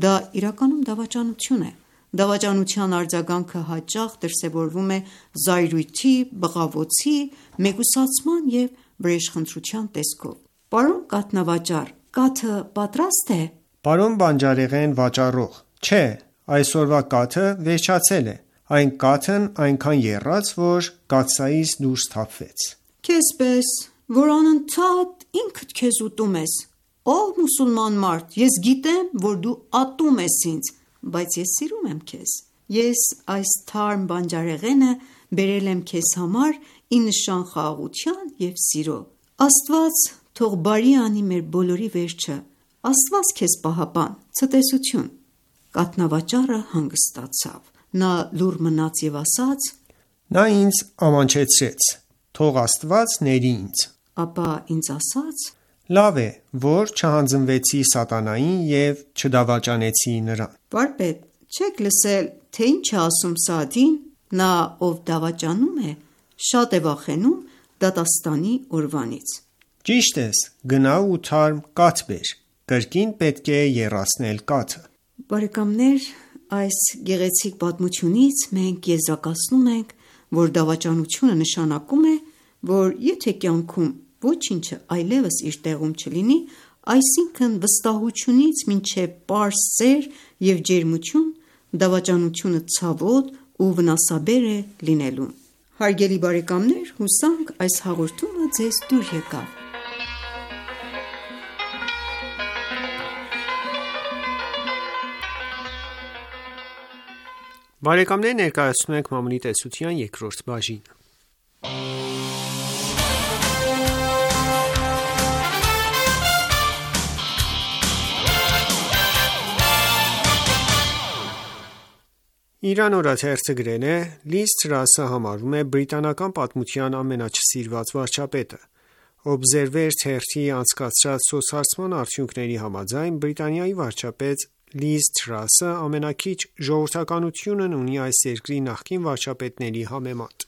դա իրականում դավաճանություն է։ Դավաճանության արձագանքը հաճախ դրսևորվում է զայրույթի, բղավոցի, մեկուսացման և վրեժխնդրության տեսքով։ Պարոն կաթնավաճառ, կաթը պատրաստ է։ Պարոն բանջարեղեն վաճառող, չէ, այսօրվա կաթը վերջացել է։ Այն կաթն այնքան եռաց, որ կաթսայից դուրս թափվեց։ Քեզ պես, որ անընդհատ ինքդ քեզ ուտում ես։ Ով մուսուլման մարդ, ես գիտեմ, որ դու ատում ես ինձ, բայց ես սիրում եմ քեզ։ Ես այս թարմ բանջարեղենը բերել եմ քեզ համար ի նշան խաղաղության և սիրո։ Աստված թող բարի անի մեր բոլորի վերջը։ Աստված քեզ պահապան, ցտեսություն։ Կաթնավաճառը հանգստացավ։ Նա լուռ մնաց և ասաց. Նա ինձ ամանչեցրեց, թող Աստված ների ինձ։ Ապա ինձ ասաց. Լավ է, որ չհանձնվեցի սատանային և չդավաճանեցի նրան։ Վարպետ, չեք լսել, թե ինչ է ասում Սաադին, նա ով դավաճանում է, շատ է վախենում դատաստանի օրվանից։ Ճիշտ ես, գնա ու թարմ կաթ բեր, կրկին պետք է եռացնել կաթը։ Բարեկամներ, այս գեղեցիկ պատմությունից մենք եզրակացնում ենք, որ դավաճանությունը նշանակում է, որ եթե կյանքում ոչինչը այլևս իր տեղում չլինի, այսինքն վստահությունից մինչև պարզ սեր և ջերմություն, դավաճանությունը ցավոտ ու վնասաբեր է լինելու։ Հարգելի բարեկամներ, հուսանք այս հաղորդումը ձեզ դուր եկավ։ Բարեկամներ, ներկայացնում ենք Մամուլի տեսության երկրորդ բաժինը։ Իրան օրաթերթը գրել է. Լիզ Թրասը համարվում է բրիտանական պատմության ամենաչսիրված վարչապետը։ Observer թերթի անցկացրած սոցհարցման արդյունքների համաձայն Բրիտանիայի վարչապետ Լիզ Թրասը ամենաքիչ ժողովրդականությունն ունի այս երկրի նախկին վարչապետների համեմատ։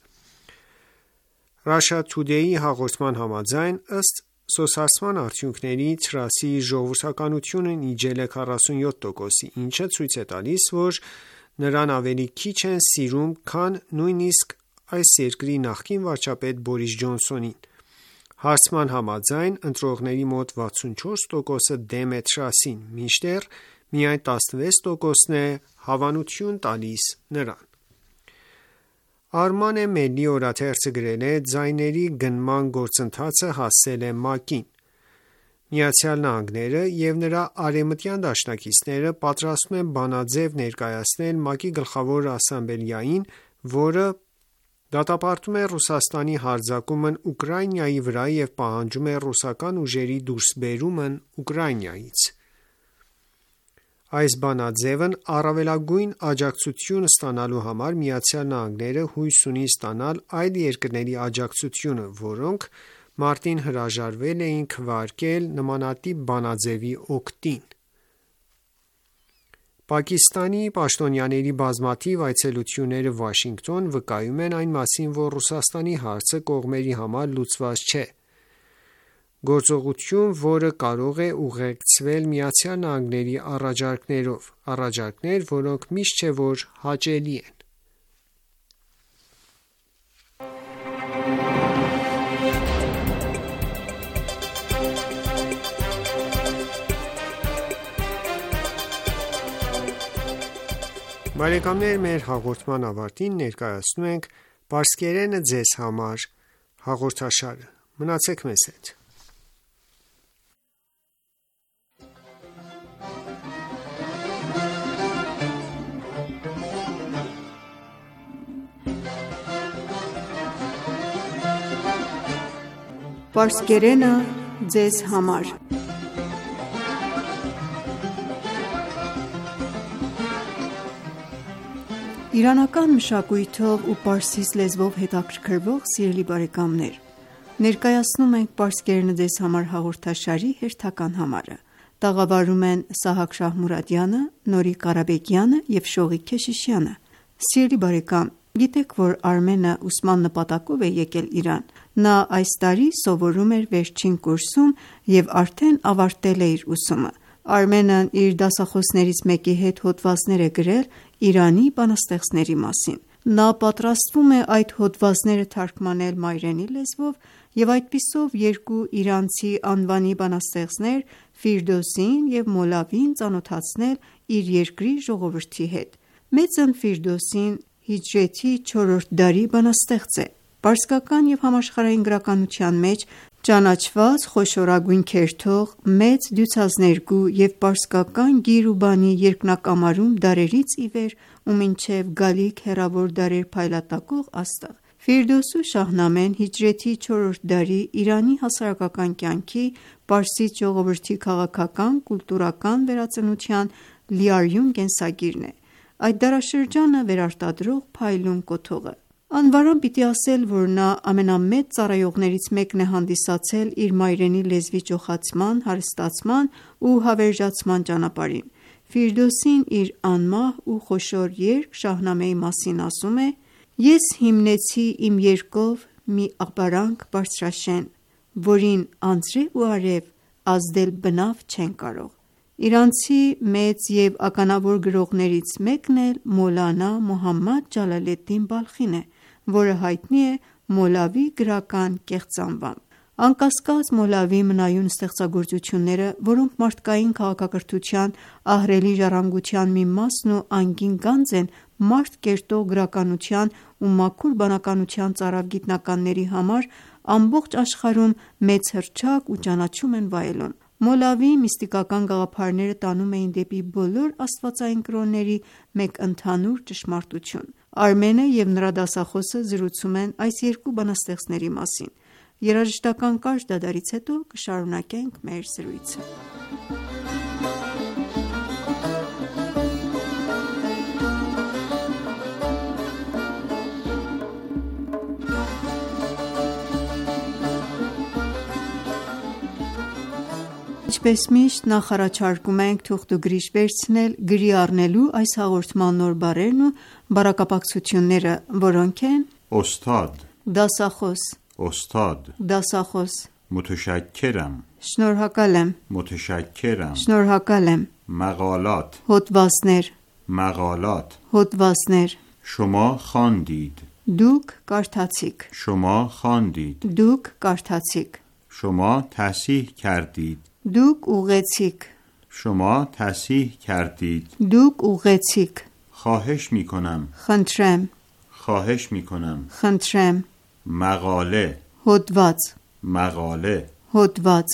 Russia Today-ի հաղորդման համաձայն, ըստ սոցհարցման արդյունքների, Թրասի ժողովրդականությունն իջել է 47%-ի, ինչը ցույց է տալիս, որ նրան ավելի քիչ են սիրում, քան նույնիսկ այս երկրի նախկին վարչապետ Բորիս Ջոնսոնին։ Հարցման համաձայն ընտրողների մոտ 64%-ը դեմ է Թրասին, մինչդեռ միայն 16%-ն է հավանություն տալիս նրան։ Arman Meli օրաթերթը գրել է. ձայների գնման գործընթացը հասել է ՄԱԿ-ին։ Միացյալ Նահանգները և նրա արևմտյան դաշնակիցները պատրաստվում են բանաձև ներկայացնել ՄԱԿ-ի գլխավոր ասամբլեային, որը դատապարտում է Ռուսաստանի հարձակումն Ուկրաինայի վրա և պահանջում է ռուսական ուժերի դուրսբերումն Ուկրաինայից։ Այս բանաձևն առավելագույն աջակցություն ստանալու համար Միացյալ Նահանգները հույս ունի ստանալ այլ երկրների աջակցությունը, որոնք մարտին հրաժարվել էին քվեարկել նմանատիպ բանաձևի օգտին։ Պակիստանի պաշտոնյաների բազմաթիվ այցելությունները Վաշինգտոն վկայում են այն մասին, որ Ռուսաստանի հարցը կողմերի համար լուծված չէ։ Գործողություն, որը կարող է ուղեկցվել Միացյալ Նահանգների առաջարկներ, որոնք միշտ չէ որ հաճելի են։ Բարեկամներ, մեր հաղորդման ավարտին ներկայացնում ենք «Պարսկերենը ձեզ համար» հաղորդաշարը։ Մնացեք մեզ հետ։ Պարսկերենը ձեզ համար Իրանական մշակույթով ու պարսից լեզվով հետաքրքրվող սիրելի բարեկամներ, ներկայացնում ենք «Պարսկերենը ձեզ համար» հաղորդաշարի հերթական համարը։ Տաղավարում են Սահակ Շահմուրադյանը, Նորիկ Ղարաբեկյանը և Շողիկ Քեշիշյանը։ Սիրելի բարեկամ, գիտեք, որ Արմենը ուսման նպատակով է եկել Իրան։ Նա այս տարի սովորում էր վերջին կուրսում և արդեն ավարտել է իր ուսումը։ Արմենն իր դասախոսներից մեկի հետ հոդվածներ է գրել Իրանի բանաստեղծների մասին։ Նա պատրաստվում է այդ հոդվածները թարգմանել մայրենի լեզվով և այդպիսով երկու իրանցի անվանի բանաստեղծներ Ֆիրդոսին և Մոլավին ծանոթացնել իր երկրի ժողովրդի հետ։ Մեծն Ֆիրդոսին հիջրեթի 4-րդ դարի բանաստեղծ է։ Պարսկական և համաշխարհային գրականության մեջ ճանաչված խոշորագույն քերթող, մեծ դյուցազներգու և պարսկական գիր ու բանի երկնակամարում դարերից ի վեր ու մինչև գալիք հեռավոր դարեր փայլատակող աստղ։ Ֆիրդոսու Շահնամեն հիջրեթի 4-րդ դարի Իրանի հասարակական կյանքի, պարսից ժողովրդի քաղաքական, կուլտուրական վերածնության լիարյուն կենսագիրն է։ Այդ դարաշրջանը վերարտադրող փայլուն կոթողը։ Անվարան պիտի ասել, որ նա ամենամեծ ծառայողներից մեկն է հանդիսացել իր մայրենի լեզվի ճոխացման, հարստացման ու հավերժացման ճանապարհին։ Ֆիրդոսին իր անմահ ու խոշոր երգ Շահնամեի մասին ասում է. «Ես հիմնեցի իմ երգով մի աղբարանք բարձրաշեն, որին անձրև ու արև ազդել բնավ չեն կարող»։ Իրանցի մեծ և ականավոր գրողներից մեկն էլ Մոլանա Մոհամմադ Ջալալեդդին Բալխին է, որը հայտնի է Մոլավի գրական կեղծ անվամբ։ Անկասկած, Մոլավի մնայուն ստեղծագործությունները, որոնք մարդկային քաղաքակրթության ահռելի ժառանգության մի մասն ու անգին գանձ են մարդ կերտող գրականության ու մաքուր բանականության ծարավ գիտնականների համար, ամբողջ աշխարհում մեծ հռչակ ու ճանաչում են վայելում։ Մոլավի միստիկական գաղափարները տանում էին դեպի բոլոր աստվածային կրոնների մեկ ընդհանուր ճշմարտություն։ Արմենը և նրա դասախոսը զրուցում են այս երկու բանաստեղծների մասին։ Երաժշտական կարճ դադարից հետո կշարունակենք մեր զրույցը։ Ինչպես միշտ, նախ առաջարկում ենք թուղթուգրիչ վերցնել գրի առնելու այս հաղորդման նոր բառերն ու բառակապակցությունները, որոնք են Օստադ, դասախոս, Օստադ, դասախոս, متشکرم, շնորհակալ եմ, متشکرم, շնորհակալ եմ, مقالات, հոդվածներ, مقالات, հոդվածներ, شما خواندید, դուք կարդացիք, شما خواندید, դուք կարդացիք, شما تصحیح کردید, դուք ուղեցիք, شما تصحیح کردید, դուք ուղեցիք, خواهش می کنم, խնդրեմ, خواهش می کنم, խնդրեմ, مقاله, հոդված, مقاله, հոդված,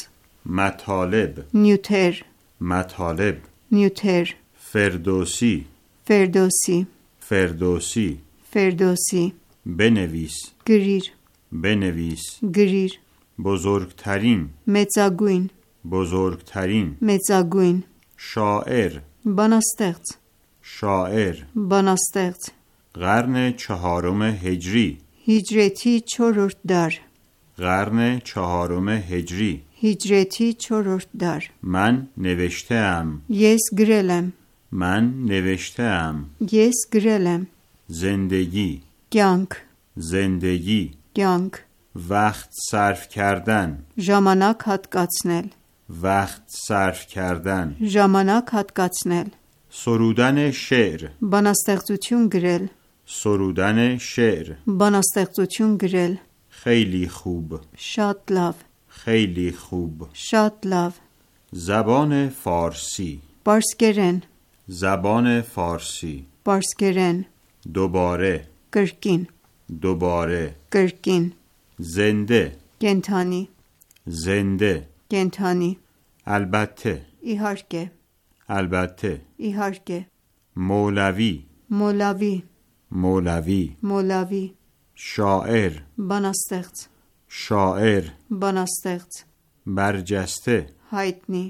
مطالب, նյութեր, مطالب, նյութեր, فردوسی, Ֆերդոսի, فردوسی, Ֆերդոսի, بنویس, գրիր, بنویس, գրիր, بزرگترین, մեծագույն, بزرگترین, մեծագույն, شاعر, բանաստեղծ, شاعر, բանաստեղծ, قرن چهارم هجری, հիջրեթի 4-րդ դար, قرن چهارم هجری, հիջրեթի 4-րդ դար, من نوشته‌ام, ես գրել եմ, من نوشته‌ام, ես գրել եմ, زندگی, կյանք, زندگی, կյանք, وقت صرف کردن, ժամանակ հատկացնել, وقت صرف کردن, ժամանակ հատկացնել, سرودن شعر, բանաստեղծություն գրել, سرودن شعر, բանաստեղծություն գրել, خیلی خوب, շատ լավ, خیلی خوب, շատ լավ, زبان فارسی, պարսկերեն, زبان فارسی, Պարսկերեն دوباره կրկին دوباره կրկին زنده կենթանի زنده կենթանի البته իհարկե البته իհարկե مولوی մոլավի مولوی մոլավի شاعر բանաստեղծ شاعر բանաստեղծ برجسته հայտնի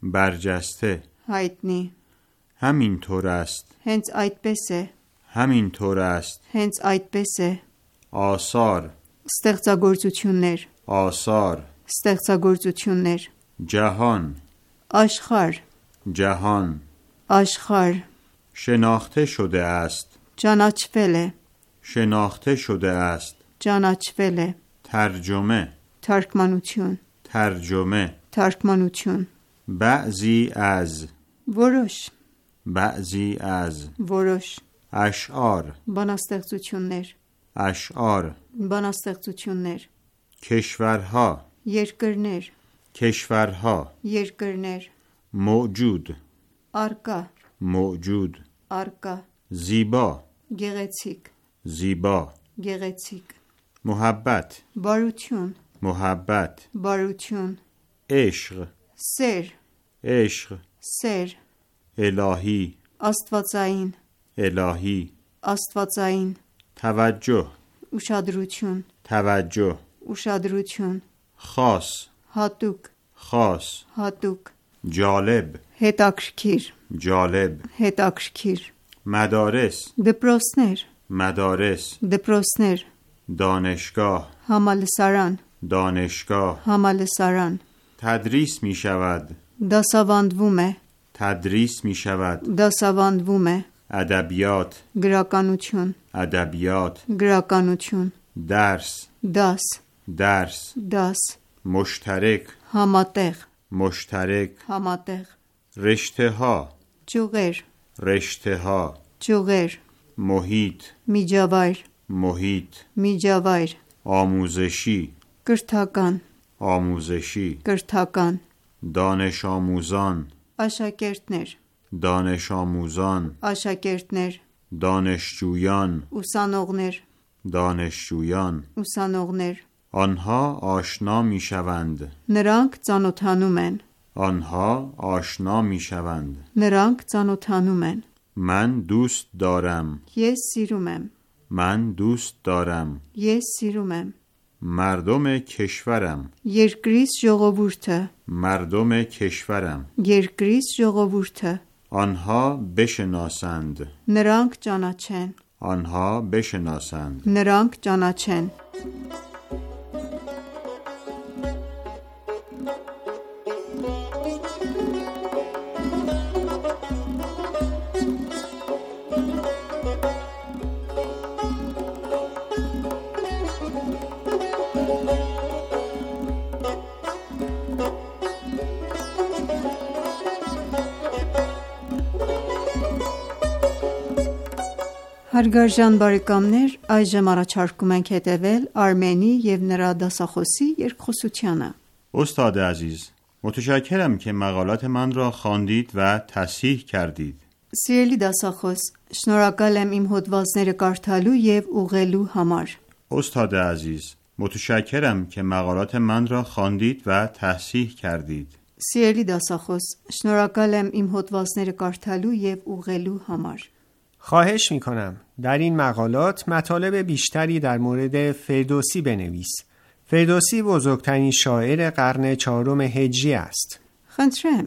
برجسته հայտնի همینطور است հենց այդպես է همینطور است հենց այդպես է آثار ստեղծագործություններ آثار ստեղծագործություններ جهان աշխարհ جهان աշխարհ شناخته شده است ճանաչվել է شناخته شده است ճանաչվել է ترجمه թարգմանություն ترجمه թարգմանություն بعضی از որոշ بعضی از որոշ اشعار բանաստեղծություններ اشعار բանաստեղծություններ کشورها երկրներ کشورها երկրներ موجود արկա موجود արկա زیبا գեղեցիկ زیبا գեղեցիկ محبت բարություն محبت բարություն عشق սեր عشق սեր الهی աստվածային الهی աստվածային توجه ուշադրություն توجه ուշադրություն خاص հատուկ خاص հատուկ جالب հետաքրքիր جالب հետաքրքիր مدارس դպրոցներ مدارس դպրոցներ دانشگاه համալսարան دانشگاه համալսարան تدریس می شود դասավանդվում է تدریس می شود դասավանդվում է ادبیات գրականություն ادبیات գրականություն درس դաս درس դաս مشترک համատեղ مشترک համատեղ رشته ها ճյուղեր رشته ها ճյուղեր محیط միջավայր محیط միջավայր آموزشی կրթական آموزشی կրթական دانش آموزان աշակերտներ دانش آموزان աշակերտներ دانشجویان ուսանողներ دانشجویان ուսանողներ آنها آشنا می شوند նրանք ծանոթանում են آنها آشنا می شوند նրանք ծանոթանում են من دوست دارم ես սիրում եմ من دوست دارم ես սիրում եմ مردم کشورم երկրից ժողովուրդը مردم کشورم երկրից ժողովուրդը آنها بشناسند նրանք ճանաչեն آنها بشناسند նրանք ճանաչեն Հարգարժան բարեկամներ, այժմ առաջարկում ենք հետևել Արմենի և նրա դասախոսի երկխոսությանը։ استاد عزیز متشکرم که مقالات من را خواندید و تصحیح کردید Սիրելի դասախոս, շնորհակալ եմ իմ հոդվածները կարդալու և ուղղելու համար։ استاد عزیز متشکرم که مقالات من را خواندید و تصحیح کردید Սիրելի դասախոս, շնորհակալ եմ իմ հոդվածները կարդալու և ուղղելու համար։ خواهش میکنم در این مقالات مطالب بیشتری در مورد فردوسی بنویس. فردوسی بزرگترین شاعر قرن چهارم هجری است. Խնդրեմ,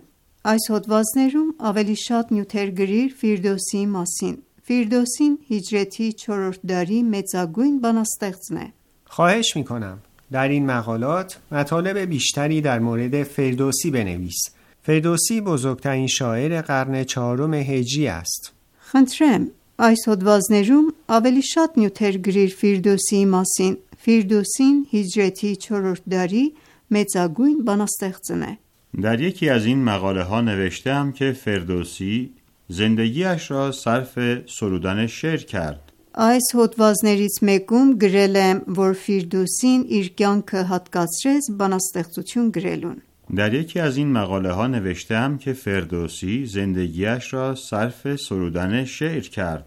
այս հոդվածներում ավելի շատ նյութեր գրիր Ֆիրդոսիի մասին։ Ֆիրդոսին հիջրեթի 4-րդ դարի մեծագույն բանաստեղծն է։ خواهش میکنم در این مقالات مطالب بیشتری در مورد فردوسی بنویس. فردوسی بزرگترین شاعر قرن چهارم هجری است. Խնդրեմ, այս հոդվածներում ավելի շատ նյութեր գրիր Ֆիրդոսիի մասին։ Ֆիրդոսին հիջրեթի 4-րդ դարի մեծագույն բանաստեղծն է։ در یکی از این مقاله ها نوشتم که فردوسی زندگیش را صرف سرودن شعر کرد Այս հոդվածներից մեկում գրել եմ, որ Ֆիրդոսին իր կյանքը հատկացրեց բանաստեղծություն գրելուն։ در یکی از این مقاله ها نوشتم که فردوسی زندگیش را صرف سرودن شعر کرد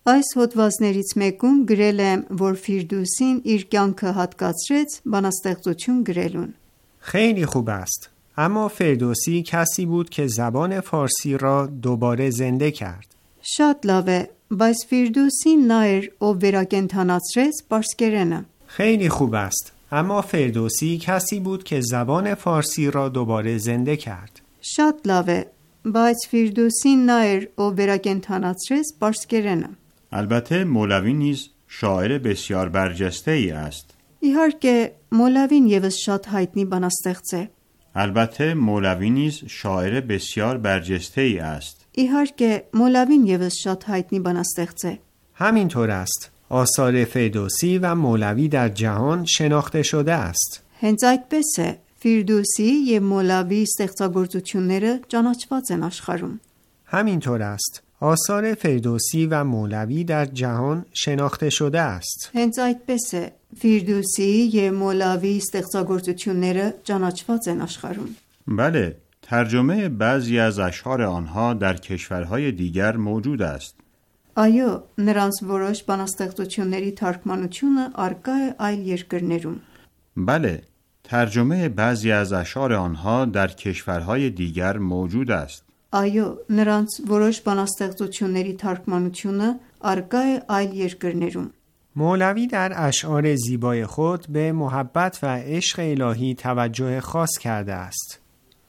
Այս հոդվածներից մեկում գրել եմ, որ Ֆիրդուսին իր կյանքը հատկացրեց բանաստեղծություն գրելուն. خیلی خوب است. اما فردوسی کسی بود که زبان فارسی را دوباره زنده کرد. Շատ լավ է, բայց Ֆիրդուսին նա էր, ով վերակենդանացրեց պարսկերենը. خیلی خوب است. اما فردوسی کسی بود که زبان فارسی را دوباره زنده کرد. Շատ լավ է, բայց Ֆիրդուսին նա էր, ով վերակենդանացրեց պարսկերենը. البته مولوی نیز شاعر بسیار برجسته‌ای است. Իհարկե, Մոլավին եւս շատ հայտնի բանաստեղծ է. البته مولوی نیز شاعر بسیار برجسته‌ای است. Իհարկե, Մոլավին եւս շատ հայտնի բանաստեղծ է. همینطور است. آثار فردوسی و مولوی در جهان شناخته شده است. Հենց այդպես է, Ֆիրդուսի եւ Մոլավի ստեղծագործությունները ճանաչված են աշխարհում. همینطور است. آثار فردوسی و مولوی در جهان شناخته شده است. Հենց այդպես է, Ֆիրդուսիի եւ Մոլավի ստեղծագործությունները ճանաչված են աշխարհում. بله، ترجمه بعضی از اشعار آنها در کشورهای دیگر موجود است. Այո, նրանց որոշ բանաստեղծությունների թարգմանությունը արկա է այլ երկրներում. بله، ترجمه بعضی از اشعار آنها در کشورهای دیگر موجود است. Այո, նրանց որոշ բանաստեղծությունների թարգմանությունը արկա է այլ երկրներում. مولوی در اشعار زیبای خود به محبت و عشق الهی توجه خاص کرده است.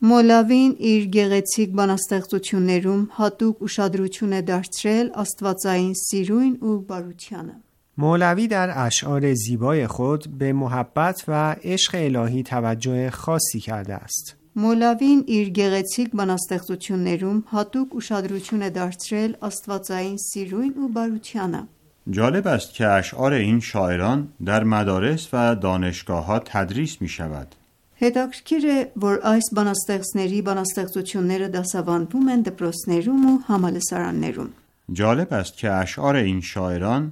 Մոլավին իր գեղեցիկ բանաստեղծություններում հատուկ ուշադրություն է դարձրել աստվածային սիրույն ու բարությանը. مولوی در اشعار زیبای خود به محبت و عشق الهی توجه خاصی کرده است. Մոլավին իր գեղեցիկ բանաստեղծություններում հատուկ ուշադրություն է դարձրել աստվածային սիրույն ու բարությանը. جالب است که اشعار این شاعران در مدارس و دانشگاه‌ها تدریس می‌شود. Հետաքրքիր է, որ այս բանաստեղծների բանաստեղծությունները դասավանդվում են դպրոցներում ու համալսարաններում. جالب است که اشعار این شاعران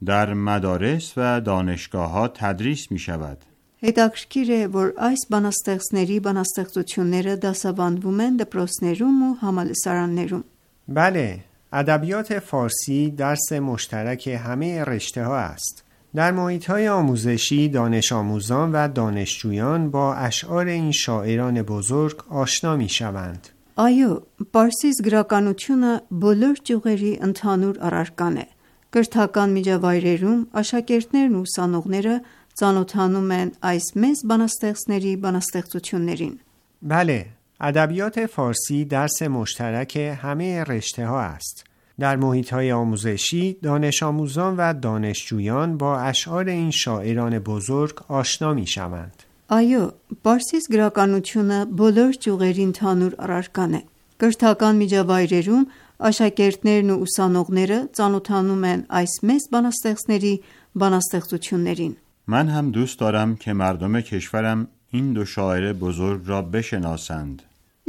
در مدارس و دانشگاه‌ها تدریس می‌شود. Հետաքրքիր է, որ այս բանաստեղծների բանաստեղծությունները դասավանդվում են դպրոցներում ու համալսարաններում. بله، ادبیات فارسی درس مشترک همه رشته‌ها است. در محیط‌های آموزشی دانش آموزان و دانشجویان با اشعار این شاعران بزرگ آشنا می‌شوند. Այո, Պարսից գրականությունը բոլոր ճյուղերի ընդհանուր առարկան է. Կրթական միջավայրերում աշակերտներն ու ուսանողները ծանոթանում են այս մեծ բանաստեղծների բանաստեղծություններին. بله، ادبیات فارسی درس مشترک همه رشته‌ها است. در محیط‌های آموزشی دانش آموزان و دانشجویان با اشعار این شاعران بزرگ آشنا می‌شوند. Այո, Պարսից գրականությունը բոլոր ճյուղերի ընդհանուր առարկան է. Կրթական միջավայրերում աշակերտներն ու ուսանողները ծանոթանում են այս մեծ բանաստեղծների բանաստեղծություններին. من هم دوست دارم که مردم کشورم این دو شاعر بزرگ را بشناسند.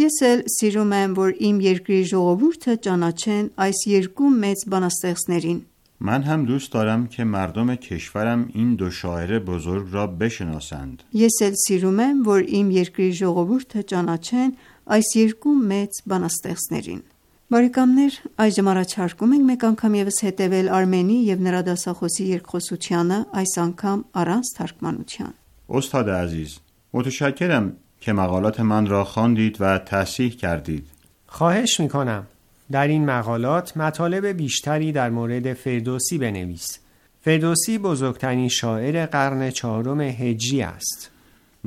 Ես էլ սիրում եմ, որ իմ երկրի ժողովուրդը ճանաչեն այս երկու մեծ բանաստեղծներին. من هم دوست دارم که مردم کشورم این دو شاعر بزرگ را بشناسند. Ես էլ սիրում եմ, որ իմ երկրի ժողովուրդը ճանաչեն այս երկու մեծ բանաստեղծներին. Բարեկամներ, այժմ առաջարկում ենք մեկ անգամ ևս հետևել Արմենի եւ նրա դասախոսի երկխոսությանը, այս անգամ առանց թարգմանության. استاد عزیز، متشکرم که مقالات من را خواندید و تصحیح کردید. خواهش می‌کنم. در این مقالات مطالب بیشتری در مورد فردوسی بنویس. فردوسی بزرگترین شاعر قرن چهارم هجری است.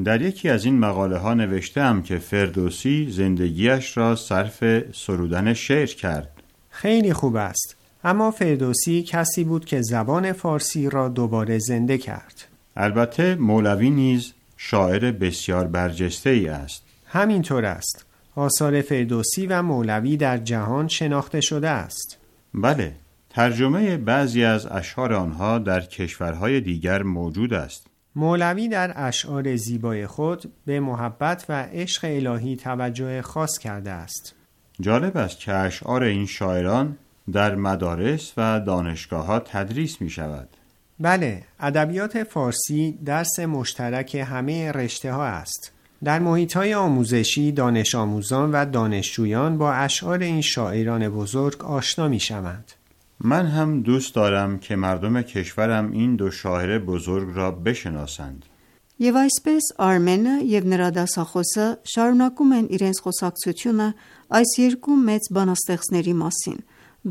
در یکی از این مقاله ها نوشتم که فردوسی زندگیش را صرف سرودن شعر کرد. خیلی خوب است. اما فردوسی کسی بود که زبان فارسی را دوباره زنده کرد. البته مولوی نیز شاعر بسیار برجسته ای است. همینطور است. آثار فردوسی و مولوی در جهان شناخته شده است. بله، ترجمه بعضی از اشعار آنها در کشورهای دیگر موجود است. مولوی در اشعار زیبای خود به محبت و عشق الهی توجه خاص کرده است. جالب است که اشعار این شاعران در مدارس و دانشگاه‌ها تدریس می شود. بله، ادبیات فارسی درس مشترک همه رشته‌ها است. در محیط‌های آموزشی دانش آموزان و دانشجویان با اشعار این شاعران بزرگ آشنا می‌شوند. من هم دوست دارم که مردم کشورم این دو شاعر بزرگ را بشناسند. Եվ այսպես Արմենը եւ նրա դասախոսը շարունակում են իրենց խոսակցությունը այս երկու մեծ բանաստեղծների մասին։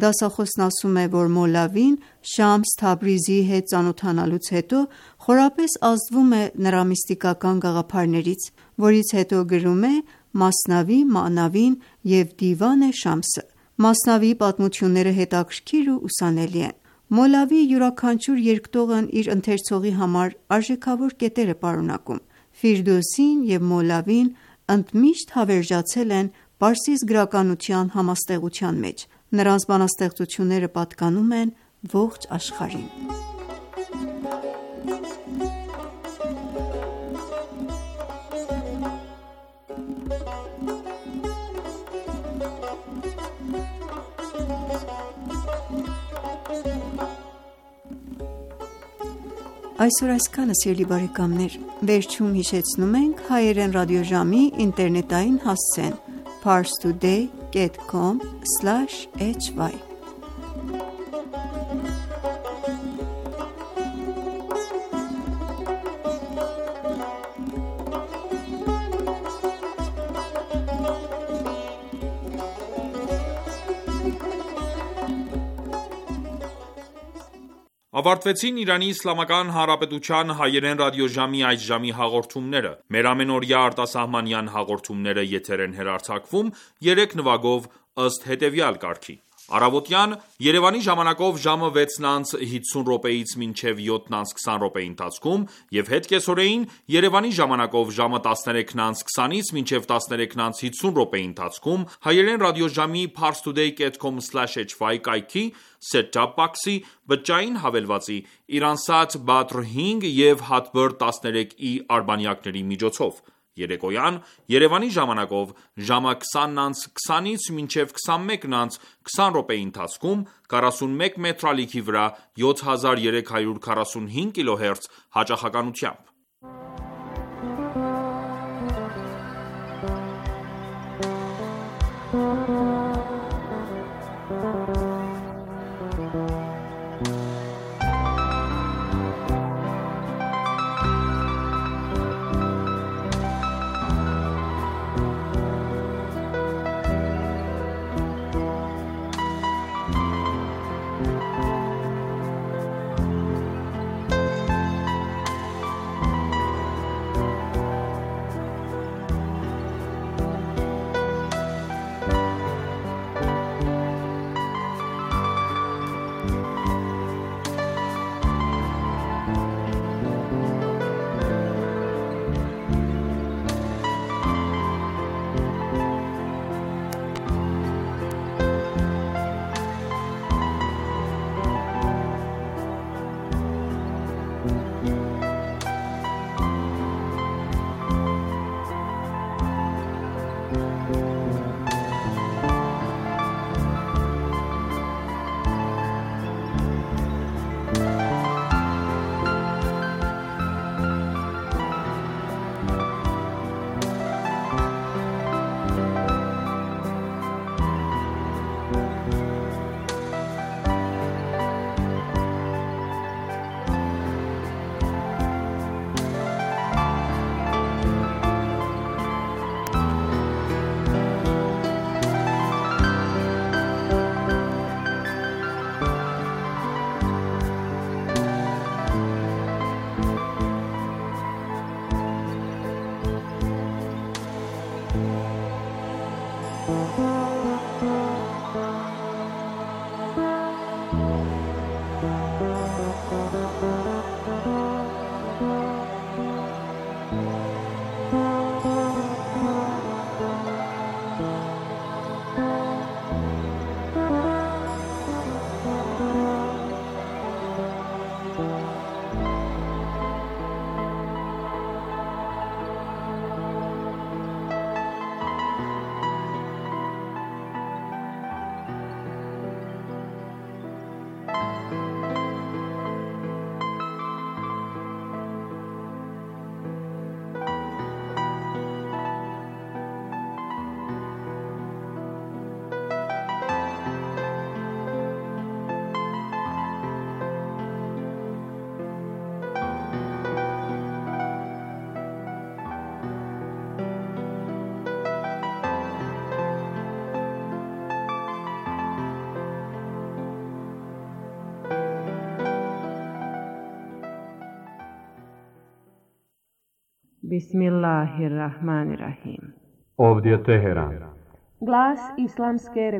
Դասախոսն ասում է, որ Մոլավին Շամս Թաբրիզիի հետ ծանոթանալուց հետո խորապես ազդվում է նրա միստիկական գաղափարներից, որից հետո գրում է Մասնավի, Մանավին եւ Դիվան Շամսը։ Մասնավիի պատմությունները հետաքրքիր ու ուսանելի են։ Մոլավիի յուրաքանչյուր երկտողն իր ընթերցողի համար արժեքավոր կետեր է պարունակում։ Ֆիրդոսին եւ Մոլավին ընդմիշտ հավերժացել են պարսից գրականության համաստեղության մեջ։ Նրանց բանաստեղծությունները պատկանում են ողջ աշխարհին։ Այսօր այսքանը, սիրելի բարեկամներ, վերջում հիշեցնում ենք հայերեն ռադիոժամի ինտերնետային հասցեն parstoday.com/hy Ավարտվեցին Իրանի Իսլամական Հանրապետության հայերեն ռադիոժամի այս ժամի հաղորդումները։ Մեր ամենօրյա արտասահմանյան հաղորդումները եթեր են հեռարձակվում 3 նվագով ըստ հետևյալ կարգի. Առավոտյան Երևանի ժամանակով ժամը 6:50-ից մինչև 7:20 ընթացքում եւ հետկեսօրեին Երևանի ժամանակով ժամը 13:20-ից մինչև 13:50 ընթացքում հայերեն ռադիոժամի parstoday.com/hy կայքի set-top box-ի բջջային հավելվածի Iransat Badr 5 եւ Hatbir 13i արբանյակների միջոցով երեկոյան Երևանի ժամանակով ժամը 20:20-ից մինչև 21:20 ընթացքում 41 մետրալիքի վրա 7345 kHz հաճախականությամբ։ Bismillahirrahmanirrahim. Ovdje Teheran. Glas Islamske